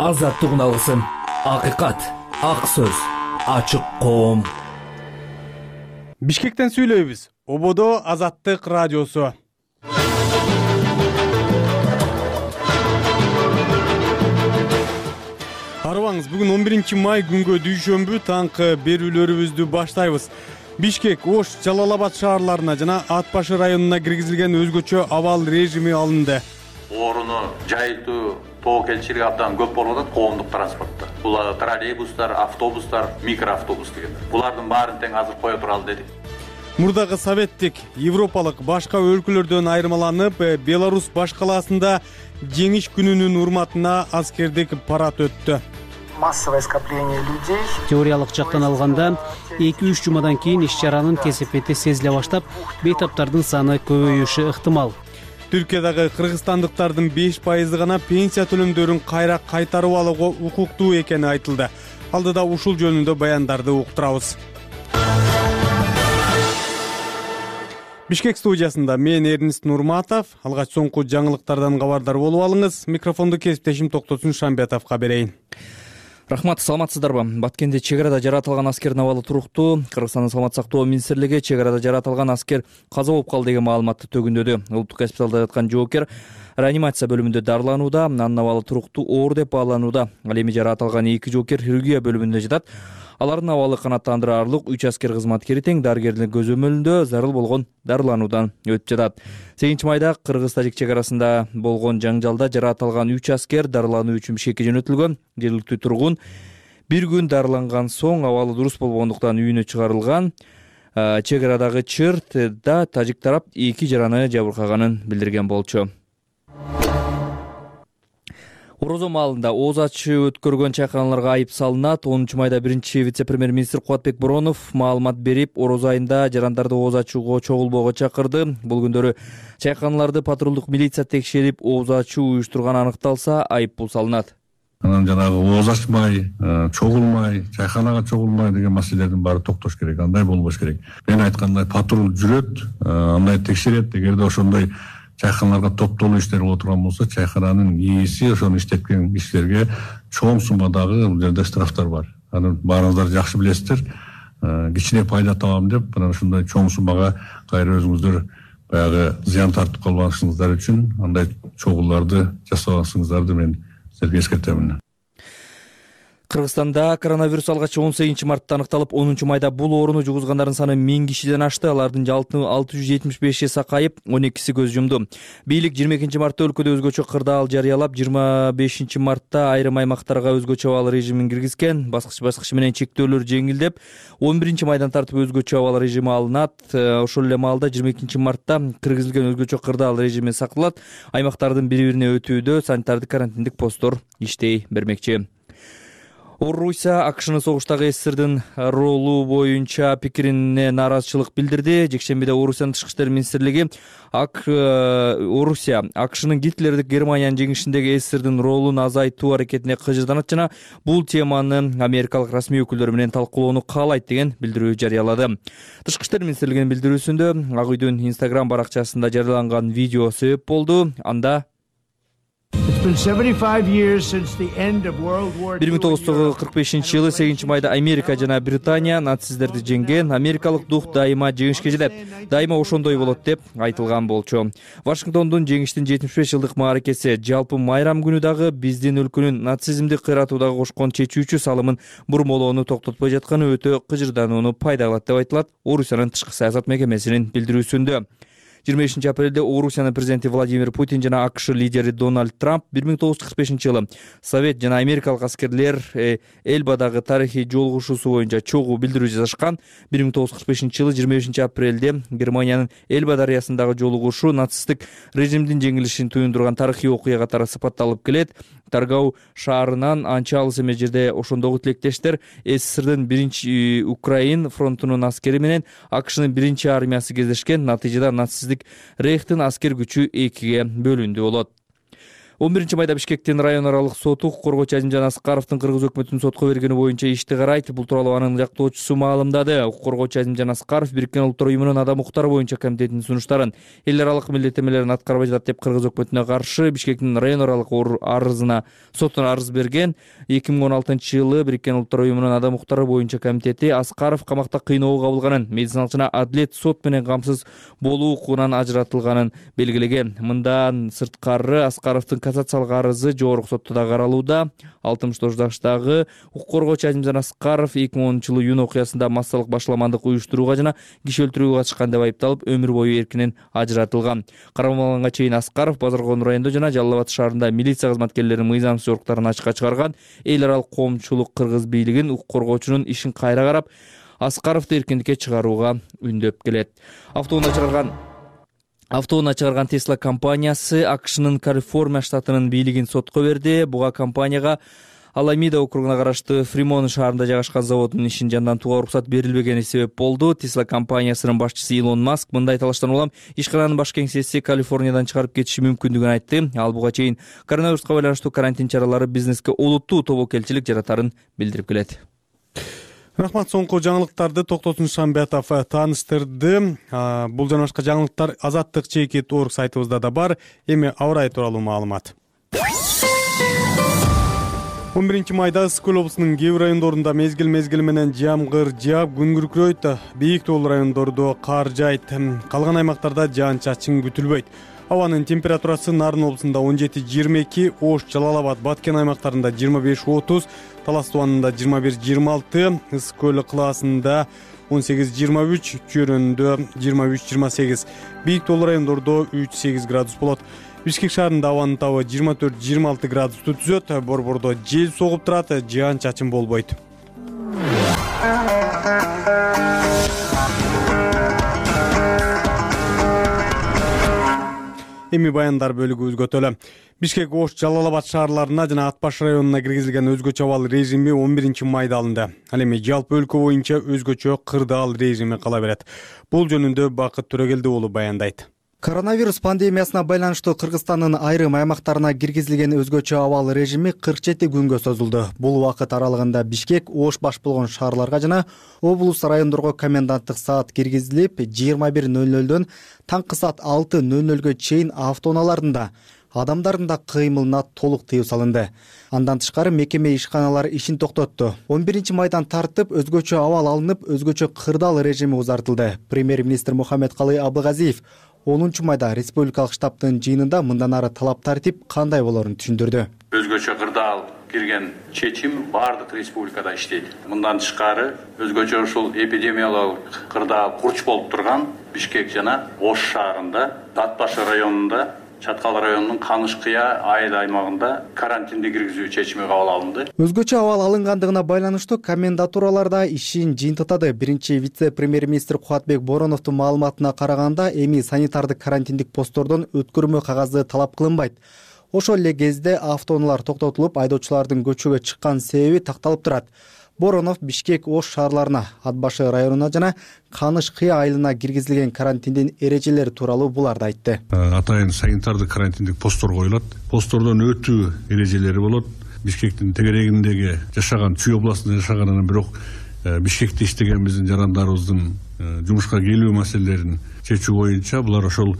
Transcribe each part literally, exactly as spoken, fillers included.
Азаттык алгысым, акыйкат, ак сөз, ачык коом. Бишкектен сүйлөйбүз. Ободо Азаттык радиосу. Арыбаңыз, бүгүн он биринчи май күнгө дүйшөмбү таңкы берүүлөрүбүздү баштайбыз. Бишкек, Ош, Жалал Абад шаарларына жана Ат башы районуна киргизилген өзгөчө абал режими алынды. Орууну жайылтуу тобокелчилиги абдан көп болуп атат коомдук транспортто. Бул троллейбустар, автобустар, микроавтобус дегендер. Булардын баарын тең азыр кое туралы дедик. Мурдагы советтик, европалык башка өлкөлөрдөн айырмаланып, Беларусь баш калаасында жеңиш күнүнүн урматына аскердик парад өттү. Массовое скопление людей. Теориялык жактан алганда эки үч жумадан кийин иш чаранын кесепети сезиле баштап, бейтаптардын саны көбөйүшү ыктымал. Түркиядагы кыргызстандыктардын беш пайызы гана пенсия төлөмдөрүн кайра кайтарып алууга укуктуу экени айтылды. Алдыда ушул жөнүндө баяндарды уктурабыз. Бишкек студиясында мен Эрнист Нурматов. Алгач соңку жаңылыктардан кабардар болуп алыңыз. Микрофонду кесиптешим Токтосун Шамбетовго берейин. Рахмат, саламатсыздарбы? Баткенде чек арада жаратылган аскердин абалы туруктуу. Кыргызстандын саламаттык сактоо министрлиги чек арада жаратылган аскер каза болуп калды деген маалыматты төгүндөдү. Улуттук госпиталда жаткан жоокер реанимация бөлүмүндө дарыланууда, анын абалы туруктуу оор деп бааланууда. Ал эми жаратылган эки жоокер хирургия бөлүмүндө жатат. Алардын абалы канааттандырарлык. үч аскер кызматкери тең дарыгердин көзөмөлүндө зарыл болгон дарылануудан өтүп жатат. сегизинчи майда кыргыз-тажик чек арасында болгон жаңжалда жаратылган үч аскер дарылануу үчүн Бишкекке жөнөтүлгөн. Жергиликтүү тургун бир күн дарыланган соң абалы дурус болбогондуктан үйүнө чыгарылган. Чек арадагы чыртда тажик тарап эки жараны жабыркаганын билдирген болчу. Орозо маалында ооз ачы өткөргөн чайканаларга айып салынат. онунчу майда биринчи вице-премьер-министр Кубатбек Боронов маалымат берип, орозо айында жарандарды ооз ачууга чогулбоого чакырды. Бул күндөрү чайканаларды патрулдук милиция текшерип, ооз ачуу уюштурган аныкталса, айып пул салынат. Анан жанагы ооз ачмай, чогулмай, чайканага чогулмай деген маселелердин баары токтош керек. Андай болбош керек. Мен айткандай патруль жүрөт, андай текшерет. Эгерде ошондой чайканаларга топтолуу иштер боло турган болсо, чайкананын ээси ошону иштеткен кишилерге чоң суммадагы бул жерде штрафтар бар. Аны баарыңыздар жакшы билесиздер. Кичине пайда табам деп, мына ушундай чоң суммага кайра өзүңүздөр баягы зыян тартып калбашыңыздар үчүн андай чогууларды жасабасыңыздарды мен силерге эскертемин. Кыргызстанда коронавирус алгачы он сегизинчи мартта аныкталып, онунчу майда бул ооруну жугузгандардын саны миң кишиден ашты. Алардын жалпы алты жүз жетимиш беши сакайып, он экиси көз жумду. Бийлик жыйырма экинчи мартта өлкөдө өзгөчө кырдаал жарыялап, жыйырма бешинчи мартта айрым аймактарга өзгөчө абал режимин киргизген. Баскыч-баскыч менен чектөөлөр жеңилдеп, он биринчи майдан тартып өзгөчө абал режими алынат. Ошол эле маалда жыйырма экинчи мартта киргизилген өзгөчө кырдаал режими сакталат. Аймактардын бири-бирине өтүүдө санитардык карантиндик посттор иштей бермекчи. Орусия АКШнын согуштагы СССРдин ролу боюнча пикирине нааразычылык билдирди. Жекшембиде Орусиянын тышкы иштер министрлиги ак Орусия АКШнын Гитлердик Германиянын жеңишиндеги СССРдин ролун азайтуу аракетине кыжырданат жана бул теманы америкалык расмий өкүлдөр менен талкуулоону каалайт деген билдирүү жарыялады. Тышкы иштер министрлигинин билдирүүсүндө Ак үйдүн Instagram баракчасында жарыяланган видео себеп болду. Анда бир миң тогуз жүз кырк бешинчи жылы сегизинчи майда Америка жана Британия нацистерди жеңген. Америкалык дух дайыма жеңишке жетет, дайыма ошондой болот деп айтылган болчу. Вашингтондун жеңиштин жетимиш беш жылдык мааракеси жалпы майрам күнү дагы биздин өлкөнүн нацизмди кыйратуудагы кошкон чечүүчү салымын бурмолоону токтотпой жатканы өтө кыжырданууну пайда кылат деп айтылат Орусиянын тышкы саясат мекемесинин билдирүүсүндө. жыйырма бешинчи апрелде Орусиянын президенти Владимир Путин жана АКШ лидери Дональд Трамп бир миң тогуз жүз кырк бешинчи жылы Совет жана америкалык аскерлер Элбадагы тарыхый жолугушуусу боюнча чогуу билдирүү жасашкан. бир миң тогуз жүз кырк бешинчи жылы жыйырма бешинчи апрелде Германиянын Элба дарыясындагы жолугушуу нацисттик режимдин жеңилишин туюндурган тарыхый окуя катары сыпатталып келет. Таргау шаарынан анча алыс эмес жерде ошондогу тилектештер СССРдин биринчи Украин фронтунун аскери менен АКШнын биринчи армиясы кездешкен. Натыйжада нацисттик Рейхтин аскер күчү экиге бөлүндү болот. он биринчи майда Бишкектин район аралык соту укук коргоочу Азимжан Аскаровдун кыргыз өкмөтүнүн сотко бергени боюнча ишти карайт. Бул тууралуу анын жактоочусу маалымдады. Укук коргоочу Азимжан Аскаров Бириккен Улуттар уюмунун адам укуктары боюнча комитетинин сунуштарын, эл аралык милдеттенмелерин аткарбай жатат деп кыргыз өкмөтүнө каршы Бишкектин район аралык арызына сотуна арыз берген. эки миң он алтынчы жылы Бириккен Улуттар уюмунун адам укуктары боюнча комитети Аскаров камакта кыйноого кабылганын, медициналык жана адилет сот менен камсыз болуу укугунан ажыратылганын белгилеген. Мындан сырткары Аскаровдун кассациялык арызы жогорку сотто да каралууда. алтымыш тогуз жаштагы укук коргоочу Азимжан Аскаров эки миң онунчу жылы июнь окуясында массалык башаламандык уюштурууга жана киши өлтүрүүгө катышкан деп айыпталып, өмүр бою эркинен ажыратылган. Кармалганга чейин Аскаров Базар Коон районунда жана Жалал Абад шаарында милиция кызматкерлеринин мыйзамсыз жоруктарын ачыкка чыгарган. Эл аралык коомчулук кыргыз бийлигин укук коргоочунун ишин кайра карап, Аскаровду эркиндикке чыгарууга үндөп келет. Автоунаа чыгарган Автоунаа чыгарган Tesla компаниясы АКШнын Калифорния штатынын бийлигин сотко берди. Буга компанияга Аламида округуна караштуу Фримон шаарында жайгашкан заводдун ишин жандантууга уруксат берилбегени себеп болду. Tesla компаниясынын башчысы Илон Маск мындай талаштан улам ишкананын баш кеңсеси Калифорниядан чыгарып кетиши мүмкүндүгүн айтты. Ал буга чейин коронавируска байланыштуу карантин чаралары бизнеске олуттуу тобокелчилик жаратарын билдирип келет. Рахмат, соңку жаңылыктарды Токтосун Шамбетов тааныштырды. Бул жана башка жаңылыктар Азаттык чейки орг сайтыбызда да бар. Эми аба ырайы тууралуу маалымат. он биринчи майда Ысык Көл облусунун кээ бир райондорунда мезгил мезгили менен жамгыр жаап, күн күркүрөйт. Бийик тоолуу райондордо кар жайт. Калган аймактарда жаан-чачын күтүлбөйт. Абанын температурасы Нарын облусунда он жети жыйырма эки, Ош, Жалал Абад, Баткен аймактарында жыйырма беш отуз, Талас Тубанында жыйырма бир жыйырма алты, Ысык Көл кылаасында он сегиз жыйырма үч, Чөйрөндө жыйырма үч жыйырма сегиз, бийик тоолуу райондордо үч сегиз градус болот. Бишкек шаарында абанын табы жыйырма төрт жыйырма алты градусту түзөт. Борбордо жел согуп турат, жаан-чачын болбойт. Эми баяндар бөлүгүбүз көтөлө. Бишкек, Ош, Жалал Абад шаарларына жана Ат баш районуна киргизилген өзгөчө абал режими он биринчи майда алынды. Ал эми жалпы өлкө боюнча өзгөчө кырдаал режими кала берет. Бул жөнүндө Бакыт Төрөгелди уулу баяндайт. Коронавирус пандемиясына байланыштуу Кыргызстандын айрым аймактарына киргизилген өзгөчө абал режими кырк жети күнгө созулду. Бул убакыт аралыгында Бишкек, Ош баш болгон шаарларга жана облус райондорго коменданттык саат киргизилип, жыйырма бир ноль нольдон таңкы саат алты ноль нольгө чейин автоунааларында адамдардын да кыймылына толук тыюу салынды. Андан тышкары мекеме ишканалары ишин токтотту. он биринчи майдан тартып өзгөчө абал алынып, өзгөчө кырдаал режими узартылды. Премьер-министр Мухаммедкалый Абылгазиев онунчу майда республикалык штабтын жыйынында мындан ары талап тартип кандай болорун түшүндүрдү. Өзгөчө кырдаал кирген чечим баардык республикада иштейт. Мындан тышкары өзгөчө ушул эпидемиологик кырдаал курч болуп турган Бишкек жана Ош шаарында, Ат башы районунда, Чаткал районунун Каныш-Кыя айыл аймагында карантинди киргизүү чечими кабыл алынды. Өзгөчө абал алынгандыгына байланыштуу комендатураларда ишин жыйынтыктады. Биринчи вице-премьер-министр Кубатбек Бороновдун маалыматына караганда, эми санитардык карантиндик посттордон өткөрмө кагазы талап кылынбайт. Ошол эле кезде автоунаалар токтотулуп, айдоочулардын көчөгө чыккан себеби такталып турат. Боронов Бишкек, Ош шаарларына, Ат башы районуна жана Каныш-Кыя айылына киргизилген карантиндин эрежелери тууралуу буларды айтты. Атайын санитардык карантиндик посттор коюлат. Посттордон өтүү эрежелери болот. Бишкектин тегерегиндеги жашаган, Чүй областында жашаганынан бирок Бишкекте иштеген биздин жарандарыбыздын жумушка келүү маселелерин чечүү боюнча булар ошол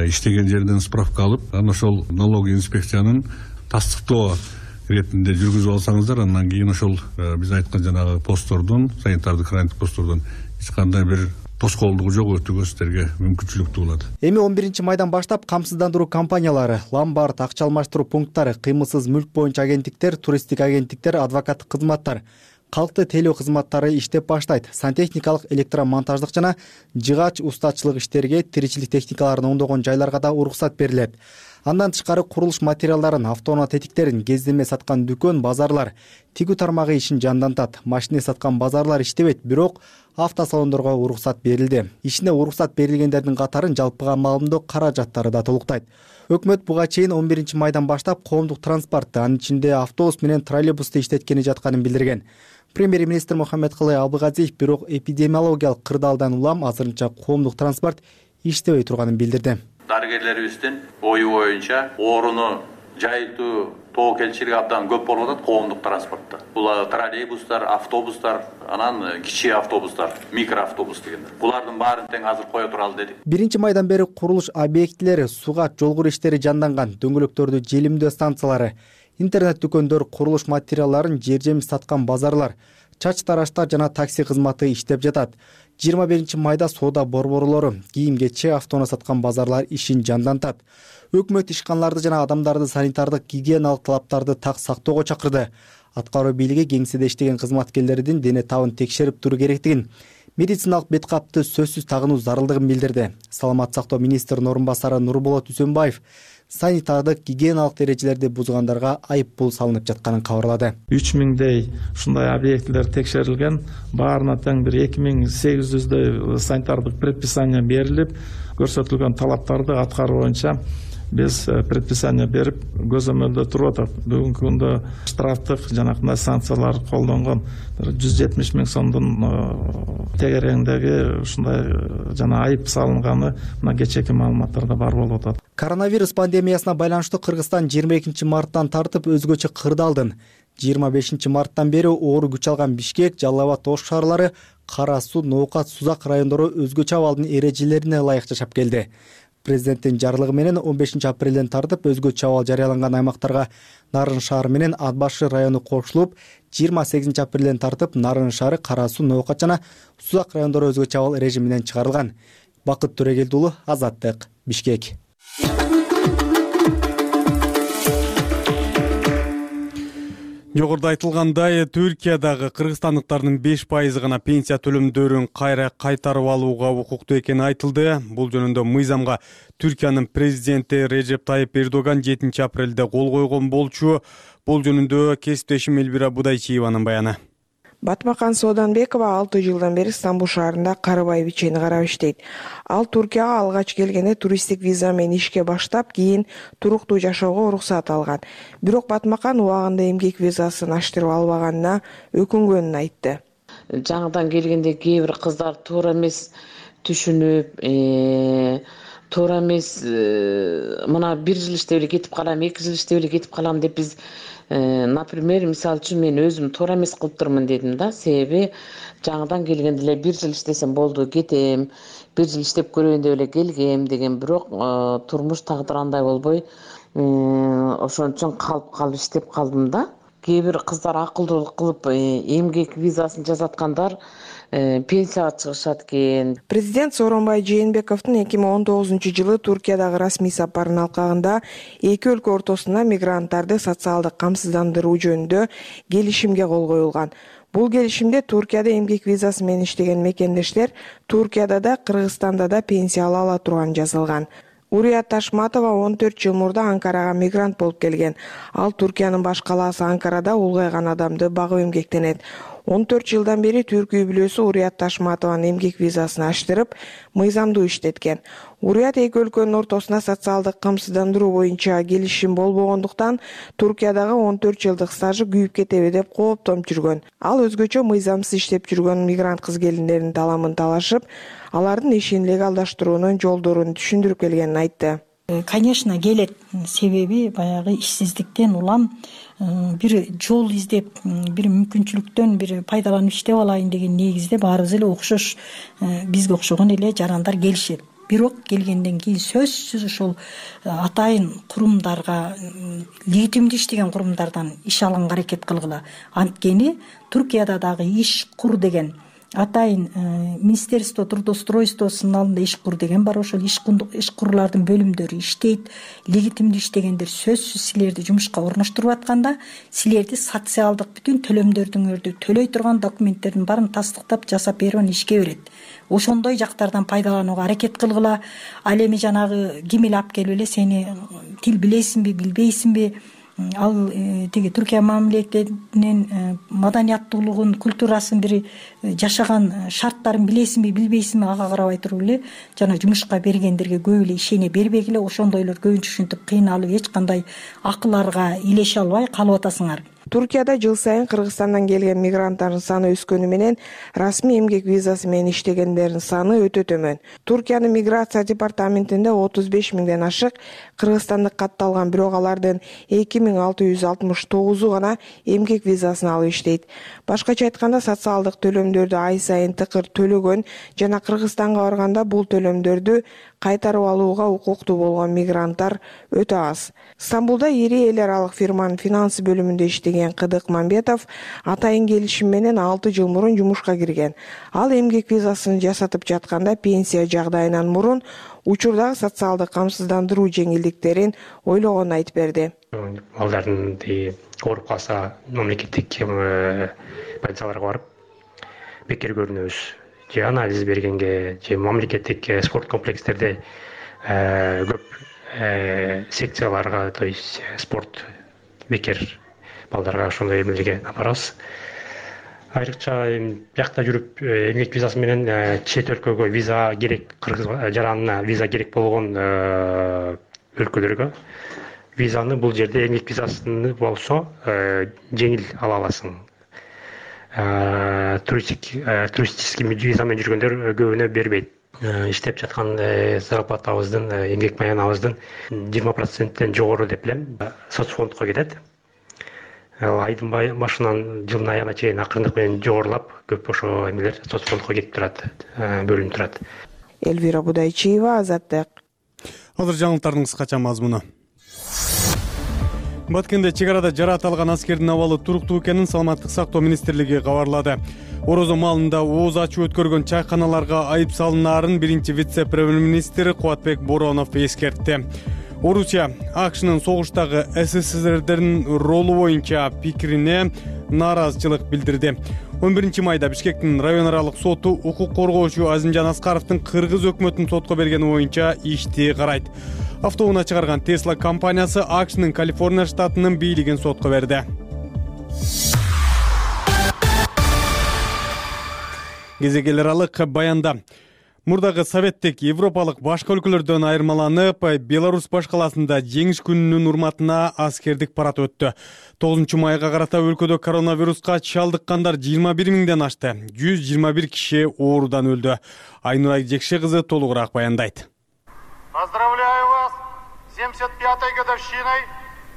иштеген жерден справка алып, анан ошол налог инспекциянын тастыктоо иретинде жүргүзүп алсаңыздар, андан кийин ошол биз айткан жанагы посттордон, санитардык карантин посттордон эч кандай бир тоскоолдугу жок өтүүгө сиздерге мүмкүнчүлүк туулат. Эми он биринчи майдан баштап камсыздандыруу компаниялары, ломбард, акча алмаштыруу пункттары, кыймылсыз мүлк боюнча агенттиктер, туристтик агенттиктер, адвокаттык кызматтар, калкты тейлөө кызматтары иштеп баштайт. Сантехникалык, электромонтаждык жана жыгач устачылык иштерге, тиричилик техникаларын оңдогон жайларга да уруксат берилет. Андан тышкары курулуш материалдарын, автоунаа тетиктерин, кездеме саткан дүкөн, базарлар, тигүү тармагы ишин жандантат. Машина саткан базарлар иштебейт, бирок автосалондорго уруксат берилди. Ишине уруксат берилгендердин катарын жалпыга маалымдоо каражаттары да толуктайт. Өкмөт буга чейин он биринчи майдан баштап коомдук транспортты, анын ичинде автобус менен троллейбусту иштеткени жатканын билдирген. Премьер-министр Мухаммедкалый Абылгазиев бирок эпидемиологиялык кырдаалдан улам азырынча коомдук транспорт иштебей турганын билдирди. Дарыгерлерибиздин ою боюнча ооруну жайылтуу тобокелчилик абдан көп болуп атат коомдук транспортто. Бул троллейбустар, автобустар, анан кичи автобустар, микроавтобус дегендер. Булардын баарын тең азыр кое туралы дедик. биринчи майдан бери курулуш объектилери, суга жолгор иштери жанданган, дөңгөлөктөрдү желимдөө станциялары, интернет дүкөндөр, курулуш материалдарын жер жемиш саткан базарлар, чач тараштар жана такси кызматы иштеп жатат. жыйырма биринчи майда соода борборлору, кийим-кече, автоунаа саткан базарлар ишин жандантат. Өкмөт ишканаларды жана адамдарды санитардык гигиеналык талаптарды так сактоого чакырды. Аткаруу бийлиги кеңседе иштеген кызматкерлердин дене табын текшерип туруу керектигин, медициналык бет капты сөзсүз тагынуу зарылдыгын билдирди. Саламаттык сактоо министринин орун басары Нурболот Үсөнбаев санитардык гигиеналык эрежелерди бузгандарга айып пул салынып жатканын кабарлады. үч миңдей ушундай объектилер текшерилген, баарына тең бир эки миң сегиз жүздөй санитардык предписание берилип, көрсөтүлгөн талаптарды аткаруу боюнча биз предписание берип көзөмөлдө туруп атат. Бүгүнкү күндө штрафтык жанагындай санкциялар колдонгон жүз жетимиш миң сомдун тегерегиндеги ушундай жана айып салынганы мына кечээки маалыматтарда бар болуп атат. Коронавирус пандемиясына байланыштуу Кыргызстан жыйырма экинчи марттан тартып өзгөчө кырдаалдын. жыйырма бешинчи марттан бери оору күч алган Бишкек, Жалал Абад, Ош шаарлары, Кара Суу, Ноокат, Сузак райондору өзгөчө абалдын эрежелерине ылайык жашап келди. Президенттин жарлыгы менен он бешинчи апрелден тартып өзгөчө абал жарыяланган аймактарга Нарын шаары менен Ат башы району кошулуп, жыйырма сегизинчи апрелден тартып Нарын шаары, Кара Суу, Ноокат жана Сузак райондору өзгөчө абал режиминен чыгарылган. Бакыт Төрөгелди уулу, Азаттык, Бишкек. Жогоруда айтылгандай, Түркиядагы кыргызстандыктардын беш пайызы гана пенсия төлөмдөрүн кайра кайтарып алууга укуктуу экени айтылды. Бул жөнүндө мыйзамга Түркиянын президенти Режеп Тайип Эрдоган жетинчи апрелде кол койгон болчу. Бул жөнүндө кесиптешим Элбира Будайчиеванын баяны. Батмакан Сооданбекова алты жылдан бери Стамбул шаарында карыбай бичени карап иштейт. Ал Туркияга алгач келгенде туристтик виза менен ишке баштап, кийин туруктуу жашоого уруксат алган. Бирок Батмакан убагында эмгек визасын аштырып албаганына өкүнгөнүн айтты. Жаңыдан келгенде кээ бир кыздар туура эмес түшүнүп, туура эмес мына бир жыл иштеп эле кетип калам, эки жыл иштеп эле кетип калам деп биз например, мисалы үчүн мен өзүм туура эмес кылып турмун дедим да, себеби жаңыдан келгенде эле бир жыл иштесем болду, кетем, бир жыл иштеп көрөйүн деп эле келгем деген, бирок турмуш тагдыр андай болбой, ошон үчүн калып калып иштеп калдым да. Кээ бир кыздар акылдуулук кылып эмгек визасын жасаткандар пенсияга чыгышат экен. Президент Сооронбай Жээнбековдун эки миң он тогузунчу жылы Туркиядагы расмий сапарынын алкагында эки өлкө ортосунда мигранттарды социалдык камсыздандыруу жөнүндө келишимге кол коюлган. Бул келишимде Туркияда эмгек визасы менен иштеген мекендештер Туркияда да, Кыргызстанда да пенсия ала ала турганы жазылган. Урият Ташматова он төрт жыл мурда Анкарага мигрант болуп келген. Ал Туркиянын баш калаасы Анкарада улгайган адамды багып эмгектенет. он төрт жылдан бери Түрк үй бүлөсү Урият Ташматованын эмгек визасын аштырып, мыйзамдуу иштеткен. Урият эки өлкөнүн ортосунда социалдык камсыздандыруу боюнча келишим болбогондуктан Туркиядагы он төрт жылдык стажы күйүп кетеби деп кооптонуп жүргөн. Ал өзгөчө мыйзамсыз иштеп жүргөн мигрант кыз келиндердин таламын талашып, алардын ишин легалдаштыруунун жолдорун түшүндүрүп келгенин айтты. Конечно, келет, себеби баягы ишсиздиктен улам бир жол издеп, бир мүмкүнчүлүктөн бир пайдаланып иштеп алайын деген негизде баарыбыз эле окшош, бизге окшогон эле жарандар келишет. Бирок келгенден кийин сөзсүз ошол атайын курумдарга, легитимдүү иштеген курумдардан иш алганга аракет кылгыла. Анткени Туркияда дагы иш кур деген атайын Министерство трудоустройствосунун алдында иш кур деген бар, ошол иш курлардын бөлүмдөрү иштейт. Легитимдүү иштегендер сөзсүз силерди жумушка орноштуруп атканда, силерди социалдык бүтүн төлөмдөрүңөрдү төлөй турган документтердин баарын тастыктап жасап берип анан ишке берет. Ошондой жактардан пайдаланууга аракет кылгыла. Ал эми жанагы ким эле алып келип эле сени тил билесиңби, билбейсиңби, ал тиги Түркия мамлекетинин маданияттуулугун, культурасын, бир жашаган шарттарын билесиңби, билбейсиңби, ага карабай туруп эле жана жумушка бергендерге көп эле ишене бербегиле. Ошондойлор көбүнчө ушинтип кыйналып, эч кандай акыларга илеше албай калып атасыңар. Туркияда жыл сайын Кыргызстандан келген мигранттардын саны өскөнү менен расмий эмгек визасы менен иштегендердин саны өтө төмөн. Туркиянын миграция департаментинде отуз беш миңден ашык кыргызстандык катталган, бирок алардын эки миң алты жүз алтымыш тогузу гана эмгек визасын алып иштейт. Башкача айтканда, социалдык төлөмдөрдү ай сайын тыкыр төлөгөн жана Кыргызстанга барганда бул төлөмдөрдү кайтарып алууга укуктуу болгон мигранттар өтө аз. Стамбулда ири эл аралык фирманын финансы бөлүмүндө иштеген Кыдык Мамбетов атайын келишим менен алты жыл мурун жумушка кирген. Ал эмгек визасын жасатып жатканда пенсия жагдайынан мурун учурдагы социалдык камсыздандыруу жеңилдиктерин ойлогонун айтып берди. Балдардын ооруп калса мамлекеттик больницаларга барып бекер көрүнөбүз. Же анализ бергенге, же мамлекеттик спорт комплекстерде көп секцияларга, то есть спорт бекер балдарга ошондой эмелерге апарабыз. Айрыкча биякта жүрүп эмгек визасы менен чет өлкөгө виза керек, кыргыз жаранына виза керек болгон өлкөлөргө визаны бул жерде эмгек визасы болсо жеңил ала аласың. Туристик туристический визамен жүргөндөр көбүнө бербейт. Иштеп жаткан зарплатабыздын, эмгек маянабыздын жыйырма проценттен жогору деп билем, соцфондко кетет. Айдын башынан жылдын аягына чейин акырындык менен жогорулап, көп ошо эмелер соцфондко кетип турат, бөлүнүп турат. Элвира Будайчиева, Азаттык. Азыр жаңылыктардын кыскача мазмуну. Баткенде чек арада жаратылган аскердин абалы туруктуу экенин Саламаттык сактоо министрлиги кабарлады. Орозо маалында ооз ачуу өткөргөн чайканаларга айып салынаарын биринчи вице-премьер-министр Кубатбек Боронов эскертти. Орусия АКШнын согуштагы СССРдин ролу боюнча пикирине нааразычылык билдирди. он биринчи майда Бишкектин район аралык соту укук коргоочу Азимжан Аскаровдун кыргыз өкмөтүн сотко бергени боюнча ишти карайт. Автоунаа чыгарган Tesla компаниясы АКШнын Калифорния штатынын бийлигин сотко берди. Кезек аралык баянда мурдагы советтик европалык башка өлкөлөрдөн айырмаланып, Беларусь баш каласында жеңиш күнүнүн урматына аскердик парад өттү. тогузунчу майга карата өлкөдө коронавируска чалдыккандар жыйырма бир миңден ашты. жүз жыйырма бир киши оорудан өлдү. Айнура Жекше кызы толугураак баяндайт. Поздравляю вас с семьдесят пятой годовщиной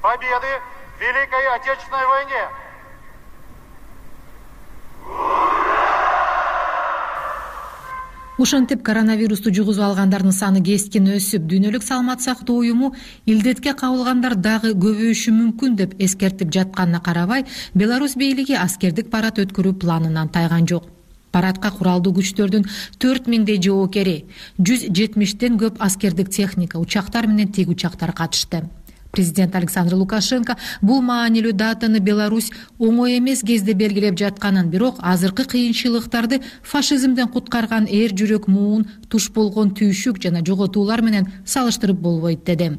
победы в Великой Отечественной войне. Ошентип коронавирусту жугузуп алгандардын саны кескин өсүп, Дүйнөлүк саламат сактоо уюму илдетке кабылгандар дагы көбөйүшү мүмкүн деп эскертип жатканына карабай, Беларусь бийлиги аскердик парад өткөрүү планынан тайган жок. Парадка куралдуу күчтөрдүн төрт миңдей жоокери, жүз жетимиштен көп аскердик техника, учактар менен тик учактар катышты. Президент Александр Лукашенко бул маанилүү датаны Беларусь оңой эмес кезде белгилеп жатканын, бирок азыркы кыйынчылыктарды фашизмден куткарган эр жүрөк муун, туш болгон түйшүк жана жоготуулар менен салыштырып болбойт деди.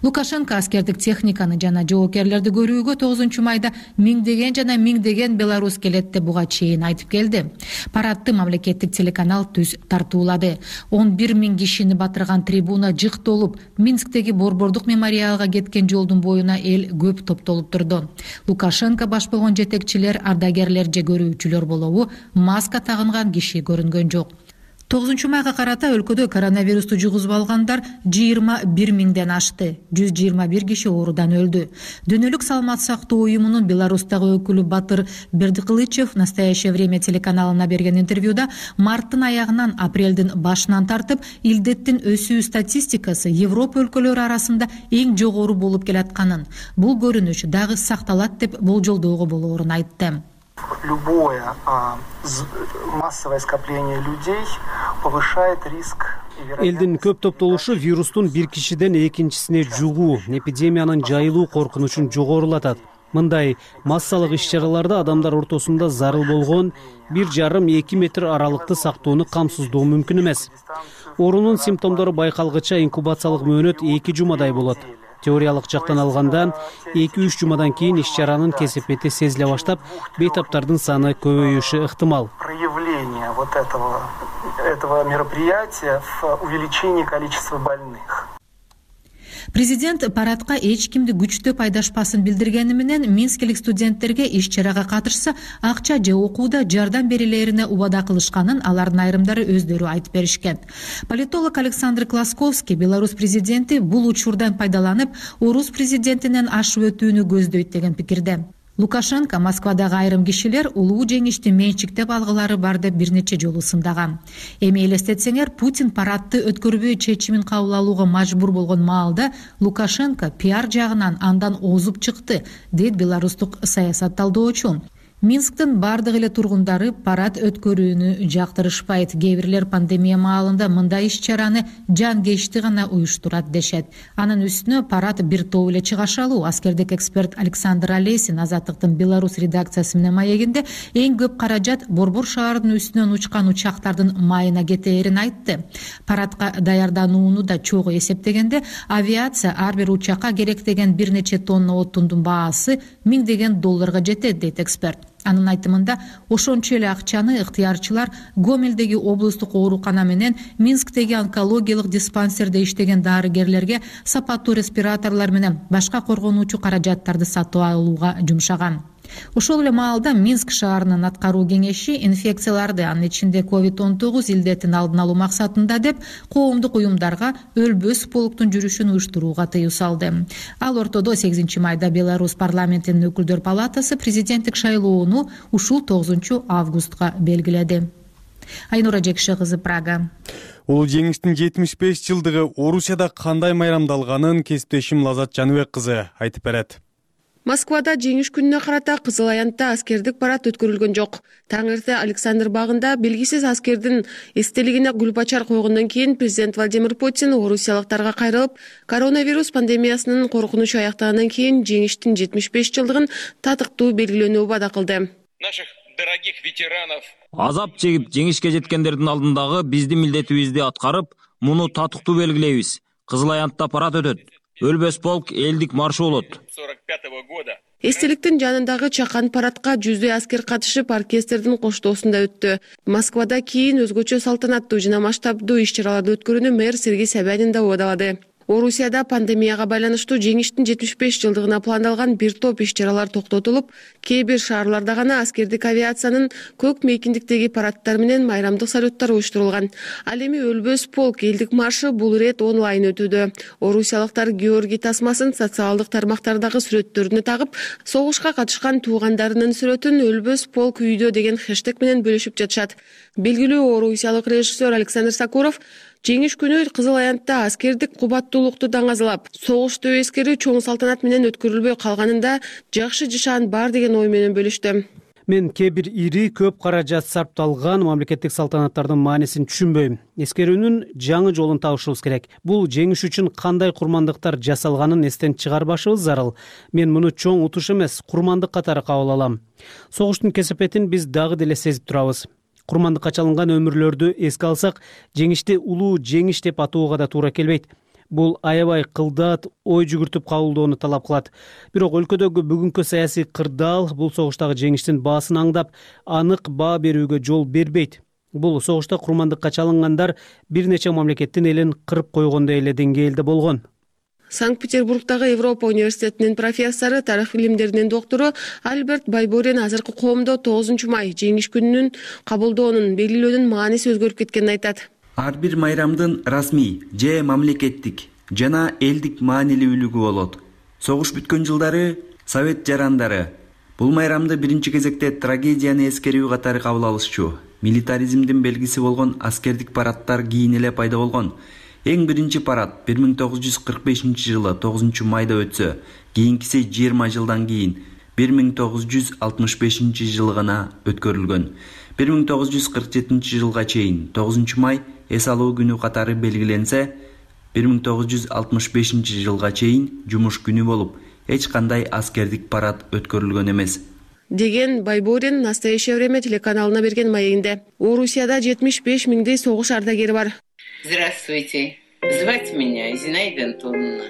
Лукашенко аскердик техниканы жана жоокерлерди көрүүгө тогузунчу майда миңдеген жана миңдеген белорус келет деп буга чейин айтып келди. Парадты мамлекеттик телеканал түз тартуулады. он бир миң кишини батырган трибуна жыктолуп, Минсктеги Борбордук мемориалга кеткен жолдун боюна эл көп топтолуп турду. Лукашенко баш болгон жетекчилер, ардагерлер же көрүүчүлөр болобу, маска тагынган киши көрүнгөн жок. тогузунчу майга карата өлкөдө коронавирусту жугузуп алгандар жыйырма бир миңден ашты. жүз жыйырма бир киши оорудан өлдү. Дүйнөлүк саламат сактоо уюмунун Беларустагы өкүлү Батыр Бердикылычев «Настоящее время» телеканалына берген интервьюда марттын аягынан апрелдин башынан тартып илдеттин өсүү статистикасы Европа өлкөлөрү арасында эң жогору болуп келатканын, бул көрүнүш дагы сакталат деп болжолдоого болоорун айтты. Любое а, массовое скопление людей повышает риск. Элдин көп топтолушу вирустун бир кишиден экинчисине жугуу, эпидемиянын жайылуу коркунучун жогорулатат. Мындай массалык иш-чараларда адамдар ортосунда зарыл болгон бир жарым эки метр аралыкты сактоону камсыздоо мүмкүн эмес. Оорунун симптомдору байкалгыча инкубациялык мөөнөт эки жумадай болот. Теориялык жактан алганда эки үч жумадан кийин иш-чаранын кесепети сезиле баштап, бейтаптардын саны көбөйүшү ыктымал. Проявление вот этого этого мероприятия в увеличении количества больных. Президент парадка эч кимди күчтөп айдашпасын билдиргени менен минскилик студенттерге иш чарага катышса акча же окууда жардам берилерине убада кылышканын алардын айрымдары өздөрү айтып беришкен. Политолог Александр Класковский Беларусь президенти бул учурдан пайдаланып орус президентинен ашып өтүүнү көздөйт деген пикирде. Лукашенко Москвадагы айрым кишилер улуу жеңишти менчиктеп алгылары бар деп бир нече жолу сындаган. Эми элестетсеңер, Путин парадты өткөрбөй чечимин кабыл алууга мажбур болгон маалда Лукашенко пиар жагынан андан озуп чыкты, дейт беларустук саясат талдоочу. Минсктин бардык эле тургундары парад өткөрүүнү жактырышпайт. Кээ бирлер пандемия маалында мындай иш-чараны жан-кечти гана уюштурат дешет. Анын үстүнө парад бир топ эле чыгашалуу. Аскердик эксперт Александр Олесин Азаттыктын Беларусь редакциясы менен маегинде эң көп каражат Борбор шаарынын үстүнөн учкан учактардын майына кетээрин айтты. Парадка даярданууну да чогуу эсептегенде авиация ар бир учакка керектеген бир нече тонна отундун баасы миңдеген долларга жетет, дейт эксперт. Анын айтымында ошончо эле акчаны ыктыярчылар Гомелдеги облустук оорукана менен Минсктеги онкологиялык диспансерде иштеген дарыгерлерге сапаттуу респираторлор менен башка коргонуучу каражаттарды сатып алууга жумшаган. Ошол эле маалда Минск шаарынын аткаруу кеңеши инфекцияларды, анын ичинде ковид он тогуз илдетин алдын алуу максатында деп коомдук уюмдарга өлбөс полктун жүрүшүн уюштурууга тыюу салды. Ал ортодо сегизинчи майда Беларусь парламентинин өкүлдөр палатасы президенттик шайлоону ушул тогузунчу августка белгиледи. Айнура Жекше кызы, Прага. Улуу жеңиштин жетимиш беш жылдыгы Орусияда кандай майрамдалганын кесиптешим Лазат Жаныбек кызы айтып берет. Москвада жеңиш күнүнө карата Кызыл Аянтта аскердик парад өткөрүлгөн жок. Таң эрте Александр багында белгисиз аскердин эстелигине гүл бачар койгондон кийин президент Владимир Путин орусиялыктарга кайрылып, коронавирус пандемиясынын коркунучу аяктагандан кийин жеңиштин жетимиш беш жылдыгын татыктуу белгилөөнү убада кылды. Наших дорогих ветеранов азап чегип жеңишке жеткендердин алдындагы биздин милдетибизди аткарып, муну татыктуу белгилейбиз. Кызыл Аянтта парад өтөт. Өлбөс полк элдик маршы болот. Эстеликтин жанындагы чакан парадка жүздөй аскер катышып, оркестрдин коштоосунда өттү. Москвада кийин өзгөчө салтанаттуу жана масштабдуу иш-чараларды өткөрүүнү мэр Сергей Собянин да убадалады. Орусияда пандемияга байланыштуу жеңиштин жетимиш беш жылдыгына пландалган бир топ иш-чаралар токтотулуп, кээ бир шаарларда гана аскердик авиациянын көк мейкиндиктеги парадтар менен майрамдык салюттар уюштурулган. Ал эми өлбөс полк элдик маршы бул ирет онлайн өтүүдө. Орусиялыктар Георгий тасмасын социалдык тармактардагы сүрөттөрүнө тагып, согушка катышкан туугандарынын сүрөтүн өлбөс полк үйдө деген хэштег менен бөлүшүп жатышат. Белгилүү орусиялык режиссер Александр Сакуров жеңиш күнү Кызыл Аянтта аскердик кубаттуулукту даңазалап, согушту эскери чоң салтанат менен өткөрүлбөй калганында жакшы жашаан бар деген ой менен бөлүштү. Мен кээ бир ири көп каражат сарпталган мамлекеттик салтанаттардын маанисин түшүнбөйм. Эскерүүнүн жаңы жолун табышыбыз керек. Бул жеңиш үчүн кандай курмандыктар жасалганын эстен чыгарбашыбыз зарыл. Мен муну чоң утуш эмес, курмандык катары кабыл алам. Согуштун кесепетин биз дагы деле сезип турабыз. Курмандыкка чалынган өмүрлөрдү эске алсак, жеңишти улуу жеңиш деп атоого да туура келбейт. Бул аябай кылдаат, ой жүгүртүп кабылдоону талап кылат. Бирок өлкөдөгү бүгүнкү саясий кырдаал бул согуштагы жеңиштин баасын аңдап, анык баа берүүгө жол бербейт. Бул согушта курмандыкка чалынгандар бир нече мамлекеттин элин кырып койгондой эле деңгээлде болгон. Санкт-Петербургдагы Европа университетинин профессору, тарых илимдеринин доктору Альберт Байборин азыркы коомдо тогузунчу май жеңиш күнүнүн кабылдоонун белгилөөнүн мааниси өзгөрүп кеткенин айтат. Ар бир майрамдын расмий же мамлекеттик жана элдик маанилүүлүгү болот. Согуш бүткөн жылдары Совет жарандары бул майрамды биринчи кезекте трагедияны эскерүү катары кабыл алышчу. Милитаризмдин белгиси болгон аскердик парадтар кийин эле пайда болгон. Эң биринчи парад бир миң тогуз жүз кырк бешинчи жылы тогузунчу майда өтсө, кийинкиси жыйырма жылдан кийин бир миң тогуз жүз алтымыш бешинчи жылы гана өткөрүлгөн. бир миң тогуз жүз кырк жетинчи жылга чейин тогузунчу май эс алуу күнү катары белгиленсе, бир миң тогуз жүз алтымыш бешинчи жылга чейин жумуш күнү болуп, эч кандай аскердик парад өткөрүлгөн эмес, деген Байборин «Настоящее время» телеканалына берген маегинде. Орусияда жетимиш беш миңдей согуш ардагери бар. Здравствуйте. Звать меня Зинаида Антоновна.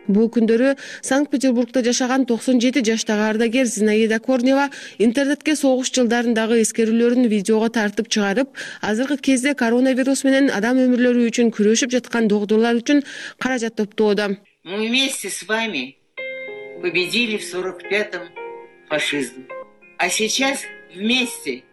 Бул күндөрү Санкт-Петербургда жашаган токсон жети жаштагы ардагер Зинаида Корнева интернетке согуш жылдарындагы эскерүүлөрүн видеого тартып чыгарып, азыркы кезде коронавирус менен адам өмүрлөрү үчүн күрөшүп жаткан доктурлар үчүн каражат топтоодо. Мы вместе с вами победили в сорок пятом фашизм. А сейчас вместе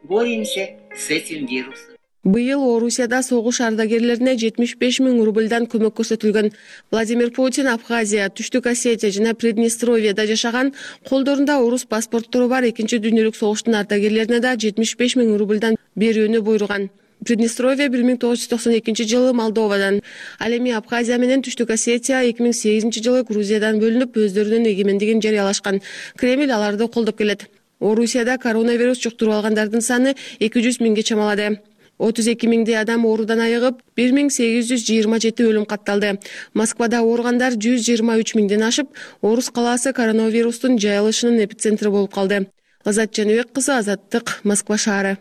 боремся с этим вирусом. Быйыл Орусияда согуш ардагерлерине жетимиш беш миң рубльдан көмөк көрсөтүлгөн. Владимир Путин Абхазия, Түштүк Осетия жана Приднестровьеда жашаган, колдорунда орус паспорттору бар экинчи дүйнөлүк согуштун ардагерлерине да жетимиш беш миң рубльдан берүүнү буйруган. Приднестровье бир миң тогуз жүз токсон экинчи жылы Молдовадан, ал эми Абхазия менен Түштүк Осетия эки миң сегизинчи жылы Грузиядан бөлүнүп, өздөрүнүн эгемендигин жарыялашкан. Кремль аларды колдоп келет. Орусияда коронавирус жуктуруп алгандардын саны эки жүз миңге чамалады. отуз эки миңдей адам оорудан айыгып, бир миң сегиз жүз жыйырма жети өлүм катталды. Москвада ооругандар жүз жыйырма үч миңден ашып, Орус калаасы коронавирустун жайылышынын эпицентрі болуп калды. Азат Жаныбек кызы, Азаттык, Москва шаары.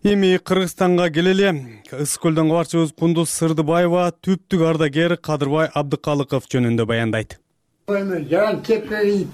Эми Кыргызстанга келели. Ысык көлдөн кабарчыбыз Кундуз Сырдыбаева түптүк ардагер Кадырбай Абдыкалыков жөнүндө баяндайт. Жан кеппей